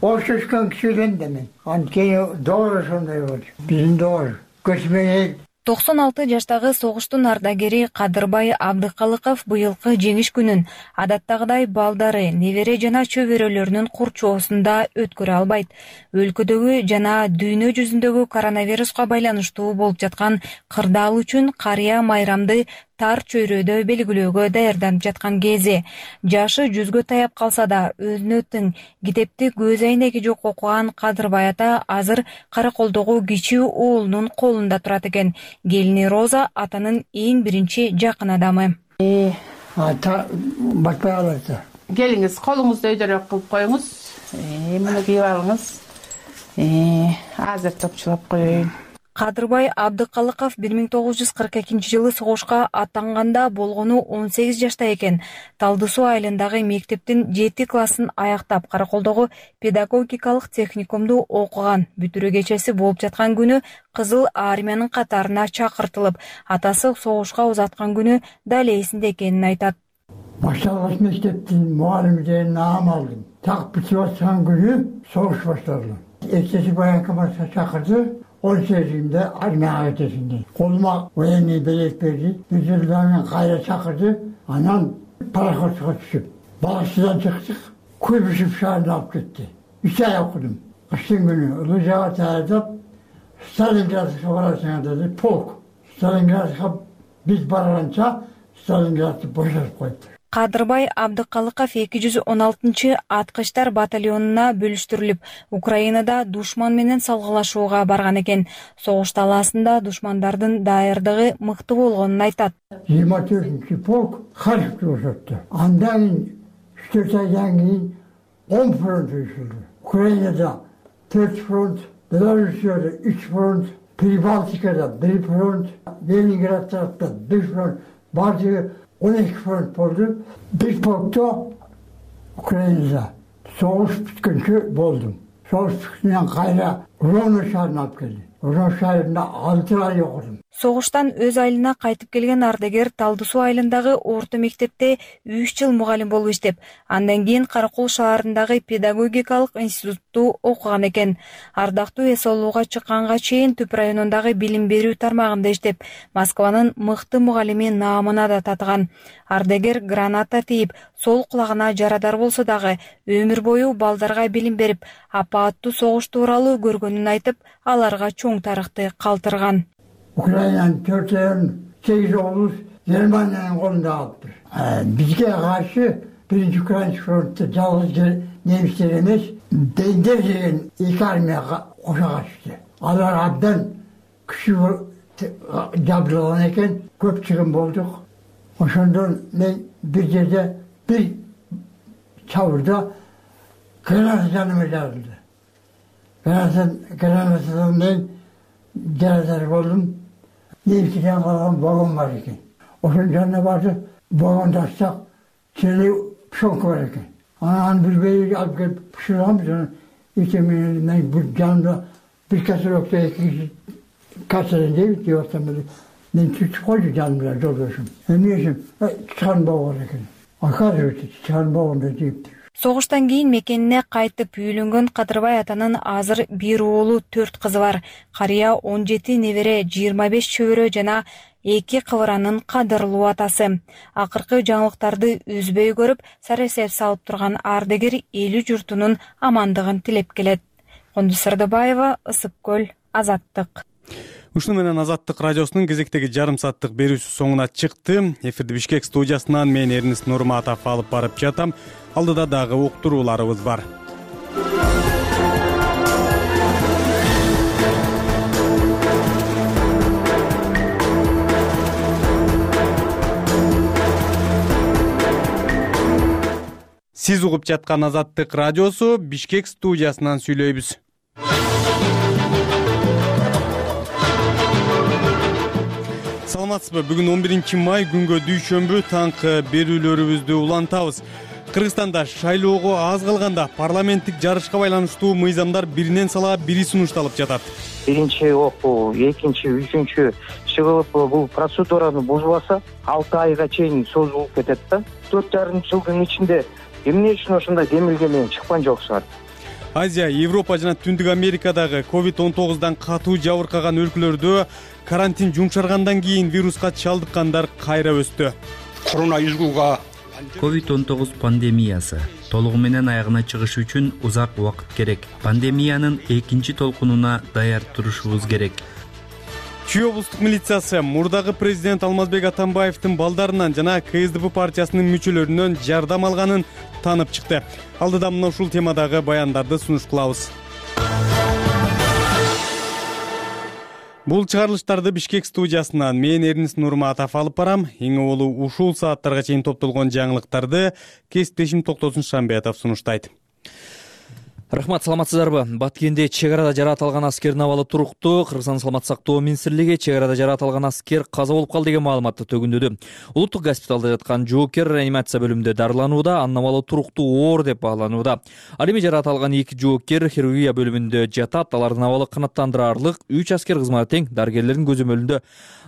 ошошкон кишиден да мен. Анткени doğru ошондой болчу. Биздин doğru. Көчмөй токсон алты жаштагы согуштун ардагери Кадырбай Абдыкалыков быйылкы жеңиш күнүн адаттагыдай балдары, небере жана чөбөрөлөрүнүн курчоосунда өткөрө албайт. Өлкөдөгү жана дүйнө жүзүндөгү коронавируска байланыштуу болуп жаткан кырдаал үчүн карыя майрамды тар чөйрөдө белгилөөгө даярданып жаткан кези. Жашы жүзгө таяп калса да, өзүнө тең китепти көз айнеги жок окуган Кадырбай ата азыр Караколдогу кичүү уулунун колунда турат экен. Келини Роза атанын эң биринчи жакын адамы. Ата батпай алат. Келиңиз, колуңузду өйдөрөөк кылып коюңуз. Муну кийип алыңыз. Азыр топчулап коеюн. Кадырбай Абдыкалыков бир миң тогуз жүз кырк экинчи жылы согушка аттанганда болгону он сегиз жашта экен. Талды Суу айылындагы мектептин жети классын аяктап, Караколдогу педагогикалык техникумду окуган. Бүтүрүү кечеси болуп жаткан күнү Кызыл армиянын катарына чакыртылып, атасы согушка узаткан күнү дал эсинде экенин айтат. Башталган мектептин мугалимдерин наам алдым. Так бүтүп аткан күнү согуш башталды. Эчеси баягы башка чакырды. он сегизинде армияга кетесиң. Колума военный билет берди. Üzülden kayra çakırdı. Anam parakotuğa düşüp. Balıkçıdan çıktık. Kuybüşüp şahane alıp gitti. Üç ay okudum. Kışın günü Ilıcağa tayardıp Stalingrad'a varasına dedi. Polk. Stalingrad'a biz baralanca Stalingrad'ı boşalt koydu. Кадырбай Абдыкалыков эки жүз он алтынчы аткычтар батальонуна бөлүштүрүлүп, Украинада душман менен салгылашууга барган экен. Согуш талаасында душмандардын даярдыгы мыкты болгонун айтат. жыйырма төртүнчү полк Харьковду бошотту. Андан үч төрт айдан кийин он фронт uyuşuldu. Украинада төрт фронт, Белоруссияда үч фронт, Прибалтикада бир фронт, Ленинград тарапта бир фронт, бардыгы on iki front oldu. Bir polkta Ukrayna'da soğuş bitkünçü boldum. Soğuş bitkünden kayra Rovno şahrına alıp geldi. Rovno şahrında altı ay okudum. Согуштан өз айылына кайтып келген ардагер Талды Суу айылындагы орто мектепте үч жыл мугалим болуп иштеп, андан кийин Каракол шаарындагы педагогикалык институтту окуган экен. Ардактуу эс алууга чыкканга чейин Түп районундагы билим берүү тармагында иштеп, Москванын мыкты мугалими наамына да татыган. Ардагер граната тийип, сол кулагына жарадар болсо дагы өмүр бою балдарга билим берип, апааттуу согуш тууралуу көргөнүн айтып, аларга чоң тарыхты калтырган. Ukrayna'nın dört ayın sekiz oğluz Germanya'nın kolunda aldı. Bizge karşı birinci Ukrayna frontta yalnız Nemişler emez, Dender degen ilk armiya koşa kaçtı. Alar abdan kişi jabdırılan eken köp çıkım bolduk. Oşondan ben bir yerde bir çavurda granat canıma jarıldı. Granatdan ben jaradar boldum. Nevkiden kalan babam var eken. Oşun canına vardı, babam taşsak, çeli şok var eken. Anam bir beyi alıp gelip pişireceğim sonra içemeyin, ben bu canımda bir kasır yoksa iki kişi kasırın değil ki yoksa böyle. Ben küçük koydu canımda doluyorsun. Ben neyse, çıkan babam var eken. Akar ötü, çıkan babam da deyip Согуштан кийин мекенине кайтып үйлөнгөн Кадырбай атанын азыр бир уулу, төрт кызы бар. Карыя он жети небере, жыйырма беш чөбөрө жана эки кыбыранын кадырлуу атасы. Акыркы жаңылыктарды үзбөй көрүп, саресеп салып турган ардагер элүү журтунун амандыгын тилеп келет. Кондуз Сардабаева, Ысык көл, Азаттык. Ушуну менен Азаттык радиосунун кезектеги жарым сааттык берүүсү соңуна чыкты. Эфирди Бишкек студиясынан мен Эрнис Нурматов алып барып жатам. Алдыда дагы уктурууларыбыз бар. Сиз угуп жаткан Азаттык радиосу Бишкек студиясынан сүйлөйбүз. Саламатсызбы? Бүгүн он биринчи май күнгө дүйшөмбү таңкы берүүлөрүбүздү улантабыз. Кыргызстанда шайлоого аз калганда парламенттик жарышка байланыштуу мыйзамдар биринен сала бири сунушталып жатат. Биринчи окуу, экинчи, үчүнчү чыгылып бул процедураны бузбаса, алты айга чейин созулуп кетет да. төрт жарым жылдын ичинде эмне үчүн ошондой демилге менен чыккан жоксуңар? Азия, Европа жана Түндүк Америкадагы ковид он тогуздан катуу жабыркаган өлкөлөрдө карантин жумшаргандан кийин вируска чалдыккандар кайра өстү. Коронавирусга ковид он тогуз пандемиясы толугу менен аягына чыгыш үчүн узак убакыт керек. Пандемиянын экинчи толкунуна даяр турушубуз керек. Чүй облустук милициясы мурдагы президент Алмазбек Атамбаевдин балдарынан жана КСДП партиясынын мүчөлөрүнөн жардам алганын танып чыкты. Алдыда мына ушул темадагы баяндарды сунуш кылабыз. Бул чыгарылыштарды Бишкек студиясынан мен Эрнис Нурматов алып барам. Эң олу ушул сааттарга чейин топтолгон жаңылыктарды кесиптешим Токтосун Шамбетов сунуштайт. Рахмат, саламатсыздарбы? Баткенде чек арада жаратылган аскердин абалы туруктуу. Кыргызстан саламаттык сактоо министрлиги чек арада жаратылган аскер каза болуп калды деген маалыматты төгүндөдү. Улуттук госпиталда жаткан жоокер реанимация бөлүмүндө дарыланууда, анын абалы туруктуу оор деп бааланууда. Ал эми жаратылган эки жоокер хирургия бөлүмүндө жатат. Алардын абалы канааттандырарлык. үч аскер кызматы тең дарыгерлердин көзөмөлүндө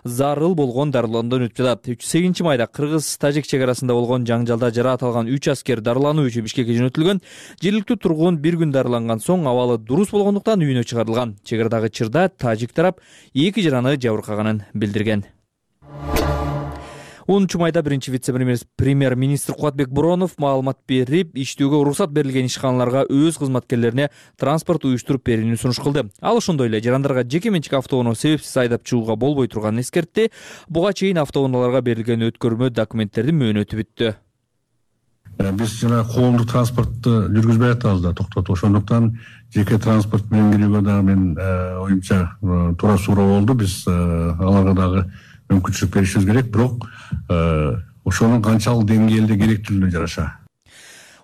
зарыл болгон дарылануудан өтүп жатат. үч сегизинчи майда Кыргыз-Тажик чек арасында болгон жаңжалда жаратылган үч аскер дарылануу үчүн Бишкекке жөнөтүлгөн. Жергиликтүү тургун бир күн дарыланган соң абалы дурус болгондуктан үйүнө чыгарылган. Чек арадагы чырда тажик тарап эки жараны жабыркаганын билдирген. онунчу майда биринчи вице-премьер-министр Кубатбек Буронов маалымат берип, иштөөгө уруксат берилген ишканаларга өз кызматкерлерине транспорт уюштуруп берүүнү сунуш кылды. Ал ошондой эле жарандарга жеке менчик автоунаа себепсиз айдап чыгууга болбой турганын эскертти. Буга чейин автоунааларга берилген өткөрмө документтердин мөөнөтү бүттү. Биз жана коомдук транспортты жүргүзбөй атабыз да, токтотуп. Ошондуктан жеке транспорт менен кирүүгө дагы мен оюмча туура суроо болду. Биз аларга дагы мүмкүнчүлүк беришибиз керек, бирок ошонун канчалык деңгээлде керектүүлүгүнө жараша.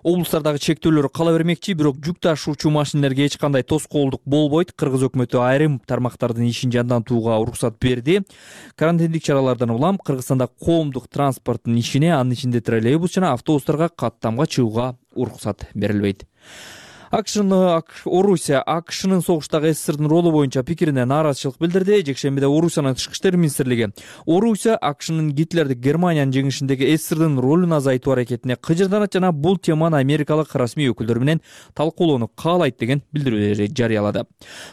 Облустардагы чектөөлөр кала бермекчи, бирок жүк ташуучу машинелерге эч кандай тоскоолдук болбойт. Кыргыз өкмөтү айрым тармактардын ишин жандантууга уруксат берди. Карантиндик чаралардан улам Кыргызстанда коомдук транспорттун ишине, анын ичинде троллейбус жана автобустарга каттамга чыгууга уруксат берилбейт. АКШнын Орусия АКШнын согуштагы СССРдин ролу боюнча пикирине нааразычылык билдирди. Жекшембиде Орусиянын тышкы иштер министрлиги Орусия АКШнын Гитлердик Германиянын жеңишиндеги СССРдин ролун азайтуу аракетине кыжырданат жана бул теманы америкалык расмий өкүлдөр менен талкуулоону каалайт деген билдирүү жарыялады.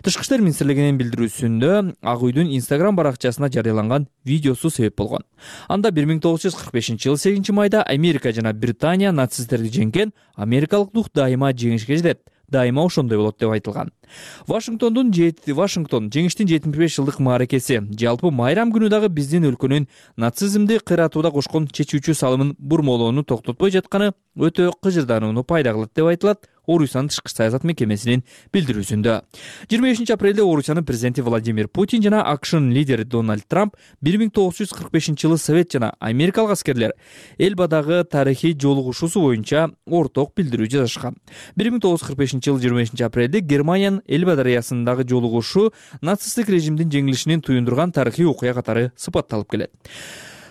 Тышкы иштер министрлигинин билдирүүсүндө Ак үйдүн Instagram баракчасына жарыяланган видеосу себеп болгон. Анда бир миң тогуз жүз кырк бешинчи жылы сегизинчи майда Америка жана Британия нацисттерди жеңген, америкалык дух дайыма жеңишке жетет. Дайыма ошондой болот деп айтылган. Вашингтондун Вашингтон жеңиштин жетимиш беш жылдык мааракеси. Жалпы майрам күнү дагы биздин өлкөнүн нацизмди кыйратууда кошкон чечүүчү салымын бурмолоону токтотпой жатканы өтө кыжырданууну пайда кылат деп айтылат Орусиянын тышкы саясат мекемесинин билдирүүсүндө. жыйырма бешинчи апрелде Орусиянын президенти Владимир Путин жана АКШнын лидери Дональд Трамп бир миң тогуз жүз кырк бешинчи жылы Совет жана америкалык аскерлер Элбадагы тарыхый жолугушуусу боюнча орток билдирүү жазышкан. бир миң тогуз жүз кырк бешинчи жылы жыйырма бешинчи апрелде Германиянын Элба дарыясындагы жолугушуу нацисттик режимдин жеңилишинин туюндурган тарыхый окуя катары сыпатталып келет.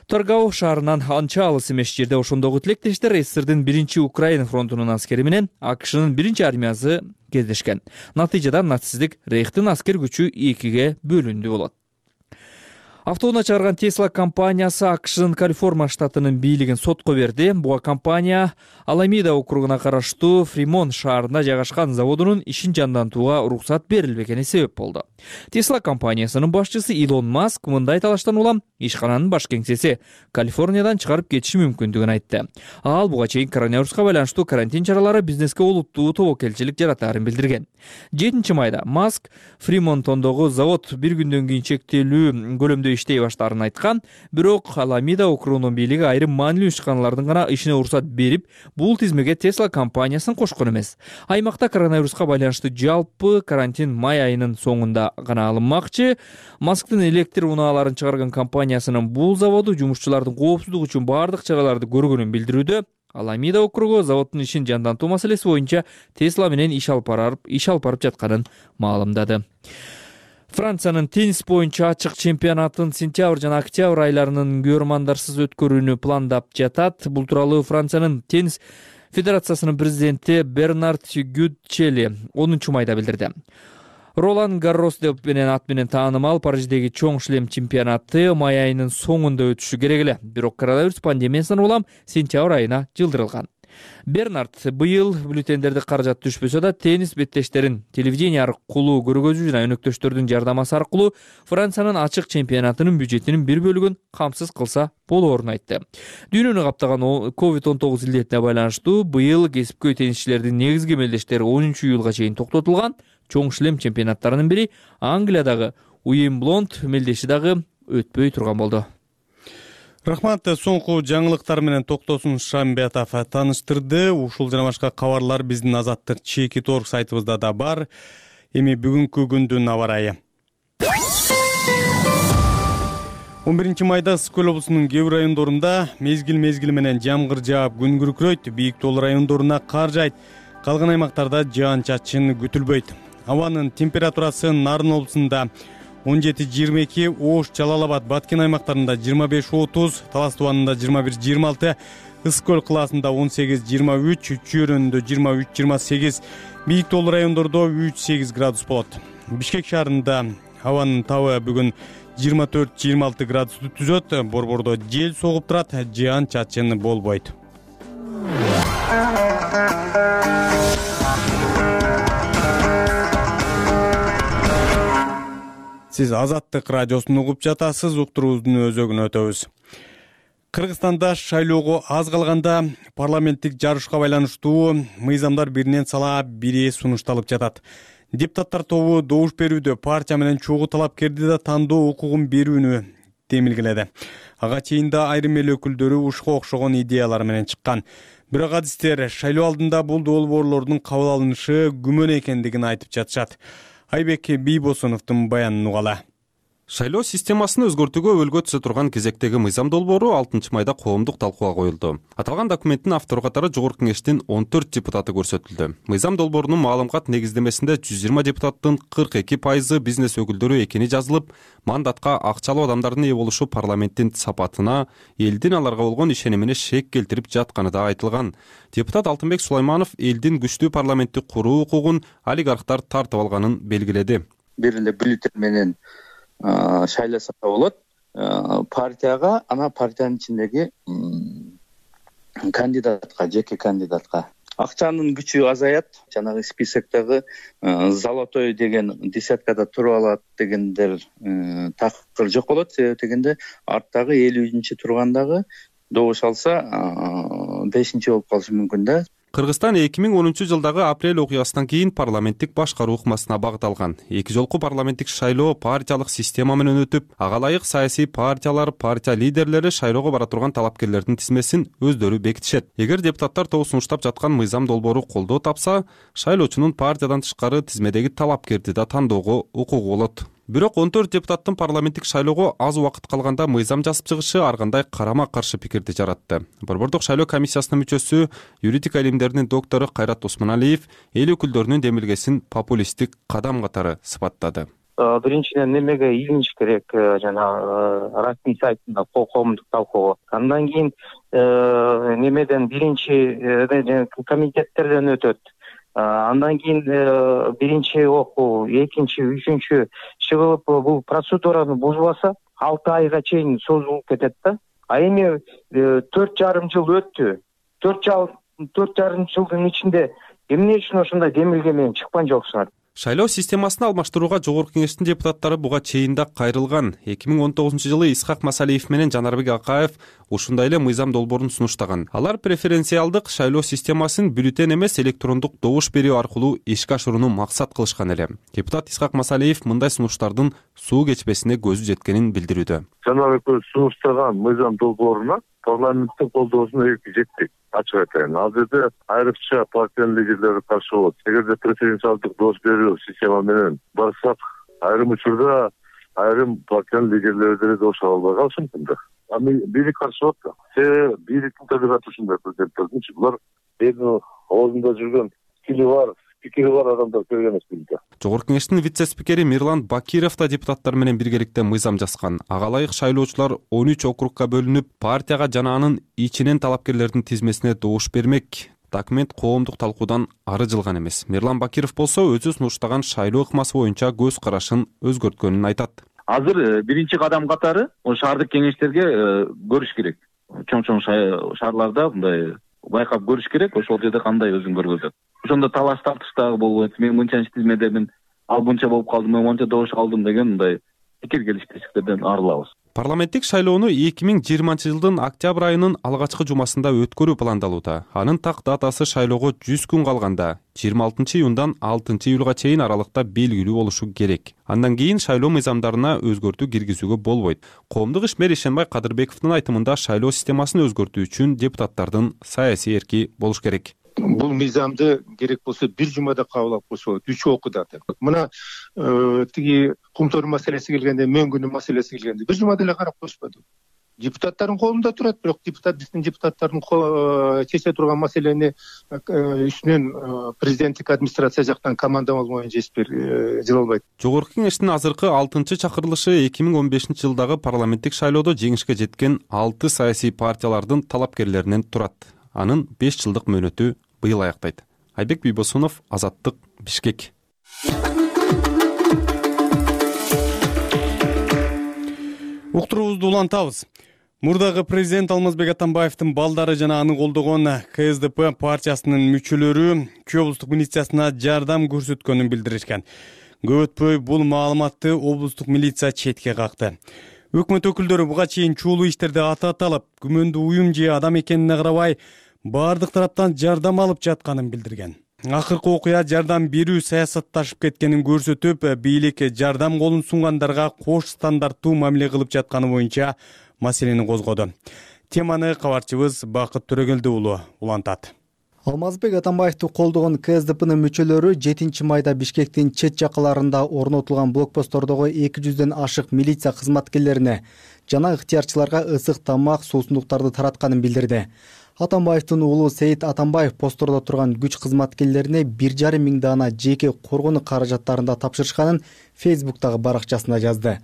Торгау шаарынан анча алыс эмес жерде ошондогу тилектештер СССРдин биринчи Украина фронтунун аскери менен АКШнын биринчи армиясы кездешкен. Натыйжада нацисттик рейхтин аскер күчү экиге бөлүндү болот. Автоунаа чыгарган Tesla компаниясы АКШнын Калифорния штатынын бийлигин сотко берди. Буга компания Аламеда округуна караштуу Фримонт шаарында жайгашкан заводунун ишин жандантууга уруксат берилбегени себеп болду. Tesla компаниясынын башчысы Илон Маск мындай талаштан улам ишкананын баш кеңсеси Калифорниядан чыгарып кетиши мүмкүндүгүн айтты. Ал буга чейин коронавируска байланыштуу карантин чаралары бизнеске олуттуу тобокелчилик жаратаарын билдирген. жетинчи майда Маск Фримонтондогу завод бир күндөн кийин чектелүү көлөмдө иштей баштаарын айткан, бирок Аламеда округунун бийлиги айрым маанилүү ишканалардын гана ишине уруксат берип, бул тизмеге Tesla компаниясын кошкон эмес. Аймакта коронавируска байланыштуу жалпы карантин май айынын соңунда гана алынмакчы. Масктын электр унааларын чыгарган компаниясынын бул заводу жумушчулардын коопсуздугу үчүн бардык чараларды көргөнүн билдирүүдө. Аламеда округу заводдун ишин жандантуу маселеси боюнча Tesla менен иш алып барып, иш алып барып жатканын маалымдады. Франциянын теннис боюнча ачык чемпионатын сентябрь жана октябрь айларынын көрмандарсыз өткөрүүнү пландап жатат. Бул тууралуу Франциянын теннис федерациясынын президенти Бернард Гютчели онунчу майда билдирди. Ролан Гаррос деп менен ат менен таанымал Париждеги чоң шлем чемпионаты май айынын соңунда өтүшү керек эле. Бирок коронавирус пандемиясынан улам сентябрь айына жылдырылган. Бернард быйыл бюллетендерди каражат түшпөсө да теннис беттештерин телевидение аркылуу көргөзүү жана өнөктөштөрдүн жардамасы аркылуу Франциянын ачык чемпионатынын бюджетинин бир бөлүгүн камсыз кылса болоорун айтты. Дүйнөнү каптаган ковид он тогуз илдетине байланыштуу быйыл кесипкөй теннисчилердин негизги мелдештери онунчу июлга чейин токтотулган. Чоң шлем чемпионаттарынын бири Англиядагы Уимблонд мелдеши дагы өтпөй турган болду. Рахмат, соңку жаңылыктар менен Токтосун Шамбетов тааныштырды. Ушул жана башка кабарлар биздин Азаттык чеки торг сайтыбызда да бар. Эми бүгүнкү күндүн аба ырайы. он биринчи майда Ысык көл облусунун кээ бир райондорунда мезгил-мезгили менен жамгыр жаап күн күркүрөйт, бийик тоол райондоруна кар жаайт. Калган аймактарда жаан-чачын күтүлбөйт. Абанын температурасы Нарын облусунда он жети жыйырма эки, Ош, Жалал-Абад, Баткен аймактарында жыйырма беш отуз, Талас тубанында жыйырма бир жыйырма алты, Ысык көл кылаасында он сегиз жыйырма үч, Чүйөрөндө жыйырма үч жыйырма сегиз, бийик тоол райондордо үч сегиз градус болот. Бишкек шаарында абанын табы бүгүн жыйырма төрт жыйырма алты градусту түзөт. Борбордо жел согуп турат, жаан-чачын болбойт. Сиз Азаттык радиосун угуп жатасыз, уктуруубуздун өзөгүнө өтөбүз. Кыргызстанда шайлоого аз калганда парламенттик жарышка байланыштуу мыйзамдар биринен сала бири сунушталып жатат. Депутаттар тобу добуш берүүдө партия менен чогуу талапкерди да тандоо укугун берүүнү демилгеледи. Ага чейин да айрым эл өкүлдөрү ушуга окшогон идеялар менен чыккан. Бирок адистер шайлоо алдында бул долбоорлордун кабыл алынышы күмөн экендигин айтып жатышат. Айбек Бийбосуновдун баянын угала. Шайлоо системасын өзгөртүүгө өлгө түзө турган кезектеги мыйзам долбоору алтынчы майда коомдук талкууга коюлду. Аталган документтин автору катары Жогорку Кеңештин он төрт депутаты көрсөтүлдү. Мыйзам долбоорунун маалымат негиздемесинде жүз жыйырма депутаттын кырк эки пайызы бизнес өкүлдөрү экени жазылып, мандатка акчалуу адамдардын ээ болушу парламенттин сапатына, элдин аларга болгон ишенимине шек келтирип жатканы да айтылган. Депутат Алтынбек Сулайманов элдин күчтүү парламентти куруу укугун олигархтар тартып алганын белгиледи. Бир эле бюллетень менен шайласа болот. Партияга, ана партиянын ичиндеги кандидатка, жеке кандидатка акчанын күчү азаят. Жанагы списоктогу золотой деген десяткада туруп алат дегендер такыр жок болот. Себеби дегенде арттагы элүүнчү тургандагы добуш алса бешинчи болуп калышы мүмкүн да. Кыргызстан эки миң онунчу жылдагы апрель окуясынан кийин парламенттик башкаруу ыкмасына багытталган. Эки жолку парламенттик шайлоо партиялык система менен өтүп, ага ылайык саясий партиялар, партия лидерлери шайлоого бара турган талапкерлердин тизмесин өздөрү бекитишет. Эгер депутаттар тобу сунуштап жаткан мыйзам долбоору колдоо тапса, шайлоочунун партиядан тышкары тизмедеги талапкерди да тандоого укугу болот. Бирок он төрт депутаттын парламенттик шайлоого аз убакыт калганда мыйзам жазып чыгышы ар кандай карама-каршы пикирди жаратты. Борбордук шайлоо комиссиясынын мүчөсү, юридика илимдеринин доктору Кайрат Осмоналиев эл өкүлдөрүнүн демилгесин популисттик кадам катары сыпаттады. Биринчиден немеге илиниш керек жана расмий сайтында коомдук талкуого. Андан кийин немеден биринчи комитеттерден өтөт. Андан кийин биринчи окуу, экинчи, үчүнчү чыгылып бул процедураны бузбаса, алты айга чейин созулуп кетет да. А эми төрт жарым жыл өттү. төрт төрт жарым жылдын ичинде эмне үчүн ошондой демилге менен чыккан жоксуңар? Шайлоо системасын алмаштырууга Жогорку Кеңештин депутаттары буга чейин да кайрылган. эки миң он тогузунчу жылы Исхак Масалиев менен Жанарбек Акаев ушундай эле мыйзам долбоорун сунуштаган. Алар преференциалдык шайлоо системасын бюллетень эмес электрондук добуш берүү аркылуу ишке ашырууну максат кылышкан эле. Депутат Исхак Масалиев мындай сунуштардын суу кечпесине көзү жеткенин билдирүүдө. Жанарбек сунуштаган мыйзам долбооруна парламенттин колдоосуна эки жеттик. Ачык айтайын, ал жерде айрыкча партиянын лидерлери каршы болот. Эгерде преференциалдык добуш берүү система менен барсак, айрым учурда айрым партиянын лидерлери деле добуш ала албай калышы мүмкүн да. А бийлик каршы болот да. Себеби бийликтин табигаты ушундай президенттердинчи. Булар элдин оозунда жүргөн тили бар, пикири бар адамдар керек эмес бийликке. Жогорку Кеңештин вице-спикери Мирлан Бакиров да депутаттар менен биргеликте мыйзам жазган. Ага ылайык шайлоочулар он үч округка бөлүнүп, партияга жана анын ичинен талапкерлердин тизмесине добуш бермек. Документ коомдук талкуудан ары жылган эмес. Мирлан Бакиров болсо өзү сунуштаган шайлоо ыкмасы боюнча көз карашын өзгөрткөнүн айтат. Азыр биринчи кадам катары шаардык кеңештерге көрүш керек. Чоң-чоң шаарларда мындай байкап көрүш керек, ошол жерде кандай өзүн көргөзөт. Ошондо талаш тартыш дагы болбойт. Мен мынчанчы тизмедемин, ал мынча болуп калдым, мен мынча добуш алдым деген мындай пикир келишпестиктерден арылабыз. Парламенттик шайлоону эки миң жыйырманчы жылдын октябрь айынын алгачкы жумасында өткөрүү пландалууда. Анын так датасы шайлоого жүз күн калганда жыйырма алтынчы июндан алтынчы июлга чейин аралыкта белгилүү болушу керек. Андан кийин шайлоо мыйзамдарына өзгөртүү киргизүүгө болбойт. Коомдук ишмер Ишенбай Кадырбековдун айтымында шайлоо системасын өзгөртүү үчүн депутаттардын саясий эрки болуш керек. Бул мыйзамды керек болсо бир жумада кабыл алып койсо болот, үч окууда. Мына тиги кумтөр маселеси келгенде, мөңгүнүн маселеси келгенде бир жумада эле карап коюшпаду. Депутаттардын колунда турат, бирок депутат биздин депутаттардын чече турган маселени үстүнөн президенттик администрация жактан командамал боюнча эс берип жыла албайт. Жогорку Кеңештин азыркы алтынчы чакырылышы эки миң он бешинчи жылдагы парламенттик шайлоодо жеңишке жеткен алты саясий партиялардын талапкерлеринен турат. Анын беш жылдык мөөнөтү быйыл аяктайт. Айбек Бийбосунов, Азаттык, Бишкек. Уктуруубузду улантабыз. Мурдагы президент Алмазбек Атамбаевдин балдары жана аны колдогон Ка Эс Де Пэ партиясынын мүчөлөрү Чүй облустук милициясына жардам көрсөткөнүн билдиришкен. Көп өтпөй бул маалыматты облустук милиция четке какты. Өкмөт өкүлдөрү буга чейин чуулуу иштерде аты аталып, күмөндүү уюм же адам экенине карабай, бардык тараптан жардам алып жатканын билдирген. Акыркы окуя жардам берүү саясатташып кеткенин көрсөтүп, бийлик жардам колун сунгандарга кош стандарттуу мамиле кылып жатканы боюнча маселени козгоду. Теманы кабарчыбыз Бакыт Төрөгелди уулу улантат. Алмазбек Атамбаевди колдогон Ка Эс Де П'нын мүчөлөрү жетинчи майда Бишкектин чет жакаларында орнотулган блокпосттордогу эки жүздөн ашык милиция кызматкерлерине жана ыктыярчыларга ысык тамак, суусундуктарды таратканын билдирди. Атамбаевдин уулу Сейит Атамбаев постордо турган күч кызматкерлерине бир жарым миң даана жеке коргонуу каражаттарында тапшырышканын Фейсбуктагы баракчасында жазды.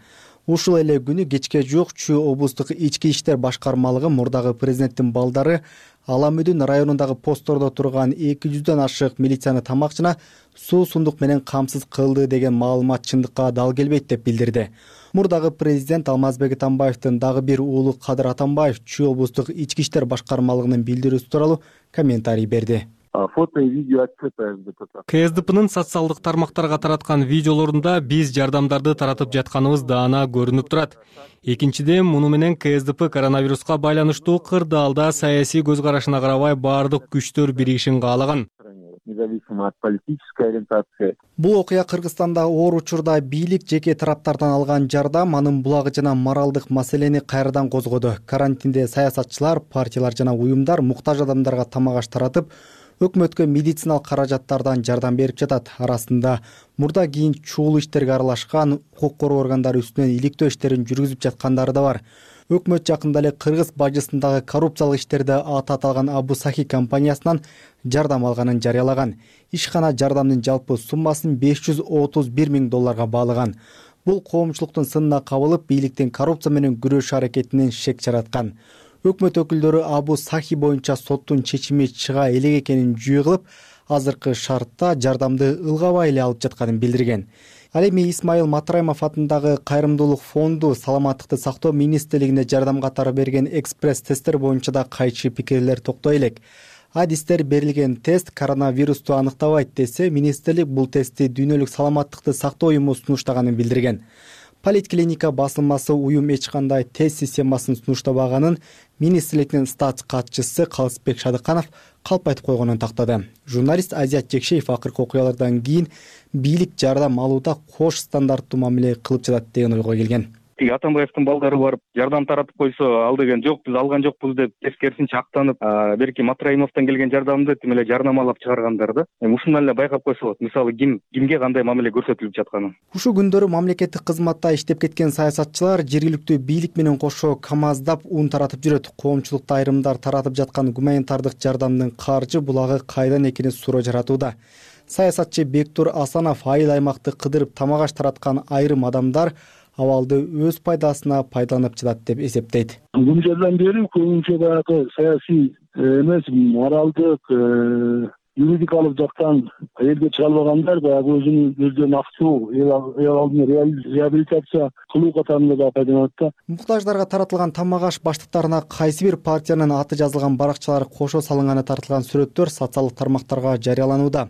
Ушул эле күнү кечке жок Чүй облустук ички иштер башкармалыгы мурдагы президенттин балдары Аламүдүн районундагы постордо турган эки жүздөн ашык милицияны тамак жана суу сундук менен камсыз кылды деген маалымат чындыкка дал келбейт деп билдирди. Мурдагы президент Алмазбек Атамбаевдин дагы бир уулу Кадыр Атамбаев Чүй облустук ички иштер башкармалыгынын билдирүүсү тууралуу комментарий берди. Фото и видео отчета Ка Эс Де П'нын социалдык тармактарга тараткан видеолорунда биз жардамдарды таратып жатканыбыз даана көрүнүп турат. Экинчиден, муну менен Ка Эс Де Пэ коронавируска байланыштуу кырдаалда саясий көз карашына карабай баардык күчтөр биригишин каалаган. Независимо от политической ориентации. Бул окуя Кыргызстанда оор учурда бийлик жеке тараптардан алган жардам, анын булагы жана моралдык маселени кайрадан козгоду. Карантинде саясатчылар, партиялар жана уюмдар муктаж адамдарга тамак аш таратып, өкмөткө медициналык каражаттардан жардам берип жатат. Арасында мурда кийин чуулуу иштерге аралашкан, укук коргоо органдары үстүнөн иликтөө иштерин жүргүзүп жаткандары да бар. Өкмөт жакында эле Кыргыз бажысындагы коррупциялык иштерде аты аталган Абу Сахи компаниясынан жардам алганын жарыялаган. Ишкана жардамдын жалпы суммасын беш жүз отуз бир миң долларга баалаган. Бул коомчулуктун сынына кабылып, бийликтин коррупция менен күрөшүү аракетинен шек жараткан. Өкмөт өкүлдөрү Абу Сахи боюнча соттун чечими чыга элек экенин жүйө кылып, азыркы шартта жардамды ылгабай эле алып жатканын билдирген. Ал эми Исмайыл Матраимов атындагы Кайрымдуулук фонду саламаттыкты сактоо министрлигине жардам катары берген экспресс тесттер боюнча да кайчы пикирлер токтой элек. Адистер берилген тест коронавирусту аныктабайт десе, министрлик бул тестти дүйнөлүк саламаттыкты сактоо уюму сунуштаганын билдирген. Политклиника басылмасы уюм эч кандай тест системасын сунуштабаганын министрликтин статс катчысы Калысбек Шадыканов калп айтып койгонун тактады. Журналист Азият Жекшеев акыркы окуялардан кийин бийлик жардам алууда кош стандарттуу мамиле кылып жатат деген ойго келген. Тиги Атамбаевдин балдары барып жардам таратып койсо, ал деген жок, биз алган жокпуз деп тескерисинче актанып, берки Матраимовдон келген жардамды тим эле жарнамалап чыгаргандар да. Эми ушундан эле байкап койсо болот. Мисалы ким кимге кандай мамиле көрсөтүлүп жатканын. Ушул күндөрү мамлекеттик кызматта иштеп кеткен саясатчылар жергиликтүү бийлик менен кошо камаздап ун таратып жүрөт. Коомчулукта айрымдар таратып жаткан гуманитардык жардамдын каржы булагы кайдан экени суроо жаратууда. Саясатчы Бектур Асанов айыл аймакты кыдырып тамак аш тараткан айрым адамдар абалды өз пайдасына пайдаланып жатат деп эсептейт. Бул жерден бери көбүнчө баягы саясий эмес, моралдык, юридикалык жактан элге чыга албагандар баягы өзүнүн өздөрүнүн акчуу эл алдына реабилитация кылуу катарында да пайдаланат да. Муктаждарга таратылган тамак аш баштыктарына кайсы бир партиянын аты жазылган баракчалар кошо салынганы тартылган сүрөттөр социалдык тармактарга жарыяланууда.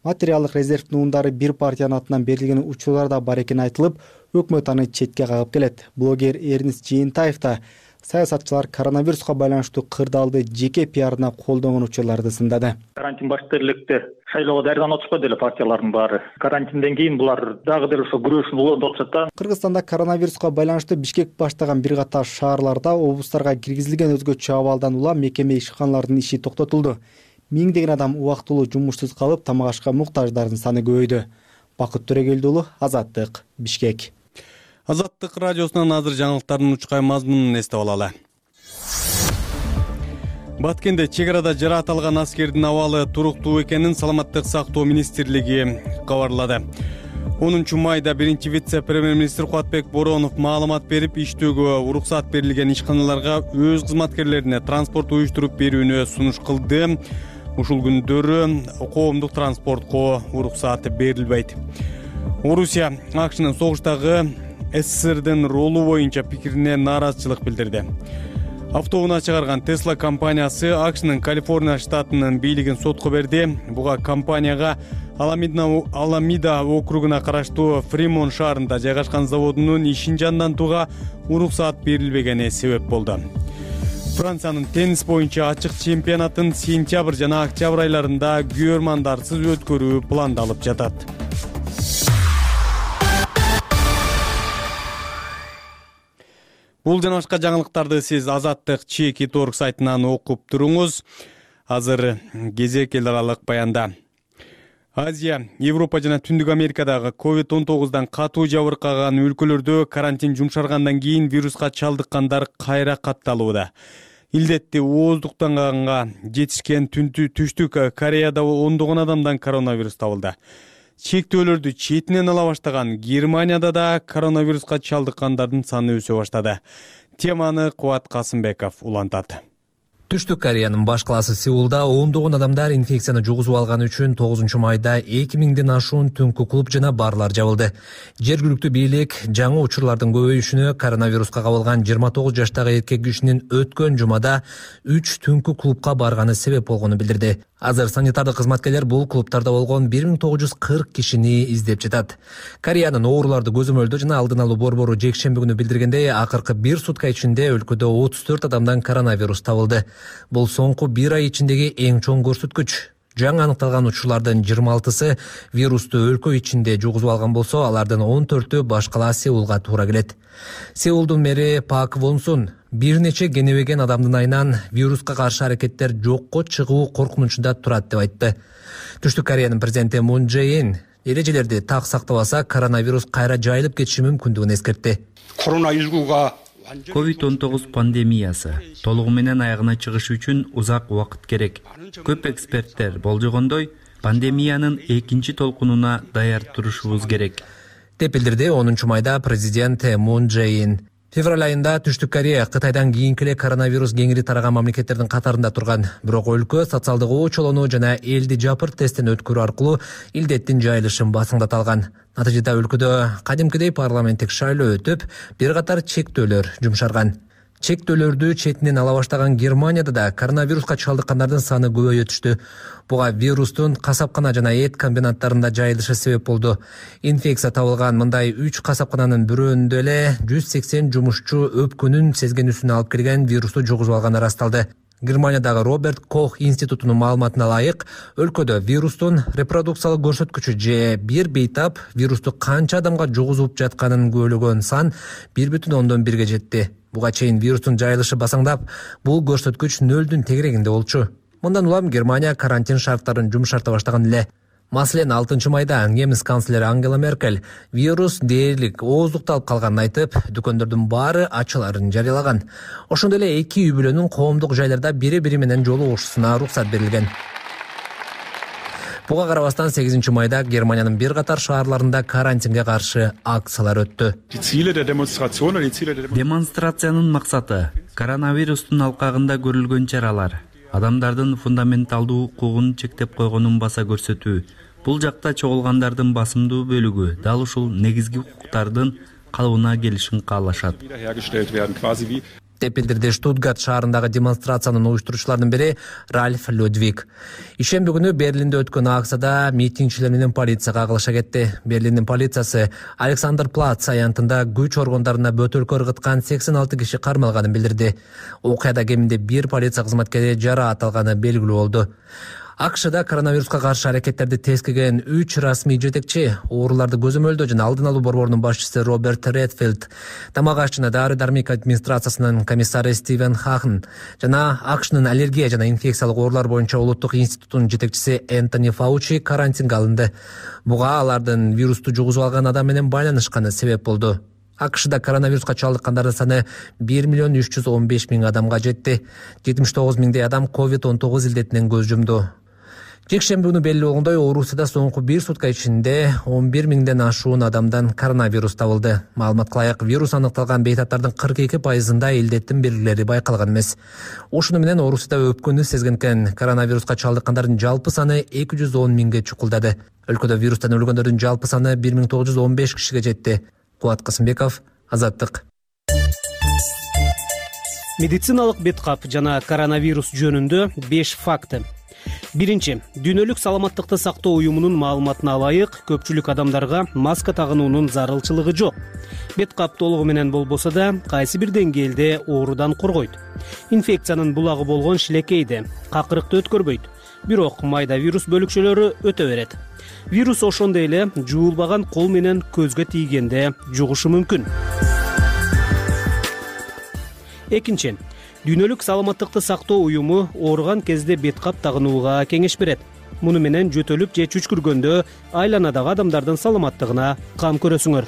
Материалдык резервдин ундары бир партиянын атынан берилген учурлар да бар экени айтылып, өкмөт аны четке кагып келет. Блогер Эрнис Жыйынтаев да саясатчылар коронавируска байланыштуу кырдаалды жеке пиарына колдонгон учурларды сындады. Карантин башта электе шайлоого даярданып атышпайбы деле партиялардын баары. Карантинден кийин булар дагы деле ошо күрөшүн улантып атышат да. Кыргызстанда коронавируска байланыштуу Бишкек баштаган бир катар шаарларда облустарга киргизилген өзгөчө абалдан улам мекеме ишканаларынын иши токтотулду. Миңдеген адам убактылуу жумушсуз калып, тамак ашка муктаждардын саны көбөйдү. Бакыт Төрөгелди уулу, Азаттык, Бишкек. Азаттык радиосунан азыр жаңылыктардын учкай мазмунун эстеп алалы. Баткенде чек арада жараат алган аскердин абалы туруктуу экенин саламаттык сактоо министрлиги кабарлады. онунчу майда биринчи вице-премьер-министр Кубатбек Боронов маалымат берип, иштөөгө уруксат берилген ишканаларга өз кызматкерлерине транспорт уюштуруп берүүнү сунуш кылды. Ушул күндөрү коомдук транспортко уруксат берилбейт. Орусия АКШнын согуштагы СССРдин ролу боюнча пикирине нааразычылык билдирди. Автоунаа чыгарган Tesla компаниясы АКШнын Калифорния штатынын бийлигин сотко берди. Буга компанияга Аламида округуна караштуу Фримон шаарында жайгашкан заводунун ишин жандантууга уруксат берилбегени себеп болду. Франциянын теннис боюнча ачык чемпионатын сентябрь жана октябрь айларында күйөрмандарсыз өткөрүү пландалып жатат. Бул жана башка жаңылыктарды сиз Азаттык чеки точка орг сайтынан окуп туруңуз. Азыр кезек эл аралык баянда. Азия, Европа жана Түндүк Америкадагы ковид он тогуздан катуу жабыркаган өлкөлөрдө карантин жумшаргандан кийин вируска чалдыккандар кайра катталууда. Илдетти ооздуктанганга жетишкен Түштүк Кореяда ондогон адамдан коронавирус табылды. Чектөөлөрдү четинен ала баштаган Германияда да коронавируска чалдыккандардын саны өсө баштады. Теманы Кубат Касымбеков улантат. Түштүк Кореянын баш калаасы Сеулда ондогон адамдар инфекцияны жугузуп алган үчүн тогузунчу майда эки миңден ашуун түнкү клуб жана барлар жабылды. Жергиликтүү бийлик жаңы учурлардын көбөйүшүнө коронавируска кабылган жыйырма тогуз жаштагы эркек кишинин өткөн жумада үч түнкү клубка барганы себеп болгонун билдирди. Азыр санитардык кызматкерлер бул клубтарда болгон бир миң тогуз жүз кырк кишини издеп жатат. Кореянын ооруларды көзөмөлдөө жана алдын алуу борбору жекшемби күнү билдиргендей, акыркы бир сутка ичинде өлкөдө отуз төрт адамдан коронавирус табылды. Бул соңку бир ай ичиндеги эң чоң көрсөткүч. Жаңы аныкталган учурлардын жыйырма алтысы вирусту өлкө ичинде жугузуп алган болсо, алардын он төртү баш кала Сеулга туура келет. Сеулдун мэри Пак Вонсун бир нече кенебеген адамдын айынан вируска каршы аракеттер жокко чыгуу коркунучунда турат деп айтты. Түштүк Кореянын президенти Мун Чжэ Ин эрежелерди так сактабаса коронавирус кайра жайылып кетиши мүмкүндүгүн эскертти. ковид он тогуз пандемиясы толугу менен аягына чыгыш үчүн узак убакыт керек. Көп эксперттер болжогондой, пандемиянын экинчи толкунуна даяр турушубуз керек деп билдирди онунчу майда президент Мун Чжэ Ин. Февраль айында Түштүк Корея Кытайдан кийинки эле коронавирус кеңири тараган мамлекеттердин катарында турган. Бирок өлкө социалдык очолоону жана элди жапырт тесттен өткөрүү аркылуу илдеттин жайылышын басыңдата алган. Натыйжада өлкөдө кадимкидей парламенттик шайлоо өтүп, бир катар чектөөлөр жумшарган. Чектөөлөрдү четинен ала баштаган Германияда да коронавируска чалдыккандардын саны көбөйө түштү. Буга вирустун касапкана жана эт комбинаттарында жайылышы себеп болду. Инфекция табылган мындай үч касапкананын бирөөндө эле жүз сексен жумушчу өпкөнүн сезгенүүсүн алып келген вирусту жугузуп алганы ырасталды. Германиядагы Роберт Кох институтунун маалыматына ылайык, өлкөдө вирустун репродукциялык көрсөткүчү же бир бейтап вирусту канча адамга жугузуп жатканын көбөлөгөн сан бир бүтүн ондон бирге жетти. Буга чейин вирустун жайылышы басаңдап, бул көрсөткүч нөлдүн тегерегинде болчу. Мындан улам Германия карантин шарттарын жумшарта баштаган эле. Маселен, алтынчы майда немис канцлери Ангела Меркель вирус дээрлик ооздукталып калганын айтып, дүкөндөрдүн баары ачыларын жарыялаган. Ошондой эле эки үй бүлөнүн коомдук жайларда бири-бири менен жолугушуусуна уруксат берилген. Буга карабастан сегизинчи майда Германиянын бир катар шаарларында карантинге каршы акциялар өттү. Демонстрациянын максаты коронавирустун алкагында көрүлгөн чаралар, адамдардын фундаменталдуу укугун чектеп койгонун баса көрсөтүү. Бул жакта чогулгандардын басымдуу бөлүгү дал ушул негизги укуктардын калыбына келишин каалашат, деп билдирди Штутгарт шаарындагы демонстрациянын уюштуруучуларынын бири Ральф Людвиг. Ишемби күнү Берлинде өткөн акцияда митингчилер менен полиция кагылыша кетти. Берлиндин полициясы Александр Плац аянтында күч органдарына бөтөлкө ыргыткан сексен алты киши кармалганын билдирди. Окуяда кеминде бир полиция кызматкери жараат алганы белгилүү болду. АКШда коронавируска каршы аракеттерди тескеген үч расмий жетекчи, ооруларды көзөмөлдөө жана алдын алуу борборунун башчысы Роберт Редфилд, тамак аш жана дары-дармек администрациясынын комиссары Стивен Хахн жана АКШнын аллергия жана инфекциялык оорулар боюнча улуттук институтунун жетекчиси Энтони Фаучи карантинге алынды. Буга алардын вирусту жугузуп алган адам менен байланышканы себеп болду. АКШда коронавируска чалдыккандардын саны бир миллион үч жүз он беш миң адамга жетти. жетимиш тогуз миңдей адам ковид он тогуз илдетинен көз жумду. Жекшемби күнү белгилүү болгондой, Орусияда соңку бир сутка ичинде он бир миңден ашуун адамдан коронавирус табылды. Маалыматка ылайык, вирус аныкталган бейтаптардын кырк эки пайызында илдеттин белгилери байкалган эмес. Ошону менен Орусияда өпкөнү сезген экен, коронавируска чалдыккандардын жалпы саны эки жүз он миңге чукулдады. Өлкөдө вирустан өлгөндөрдүн жалпы саны бир миң тогуз жүз он беш кишиге жетти. Кубат Касымбеков, Азаттык. Медициналык беткап жана коронавирус жөнүндө беш факты. Биринчи, дүйнөлүк саламаттыкты сактоо уюмунун маалыматына ылайык, көпчүлүк адамдарга маска тагынуунун зарылчылыгы жок. Беткап толугу менен болбосо да, кайсы бир деңгээлде оорудан коргойт. Инфекциянын булагы болгон шилекейди, какырыкты өткөрбөйт. Бирок майда вирус бөлүкчөлөрү өтө берет. Вирус ошондой эле жуулбаган кол менен көзгө тийгенде жугушу мүмкүн. Экинчи, дүйнөлүк саламаттыкты сактоо уюму ооруган кезде беткап тагынууга кеңеш берет. Муну менен жөтөлүп же чүчкүргөндө айланадагы адамдардын саламаттыгына кам көрөсүңөр.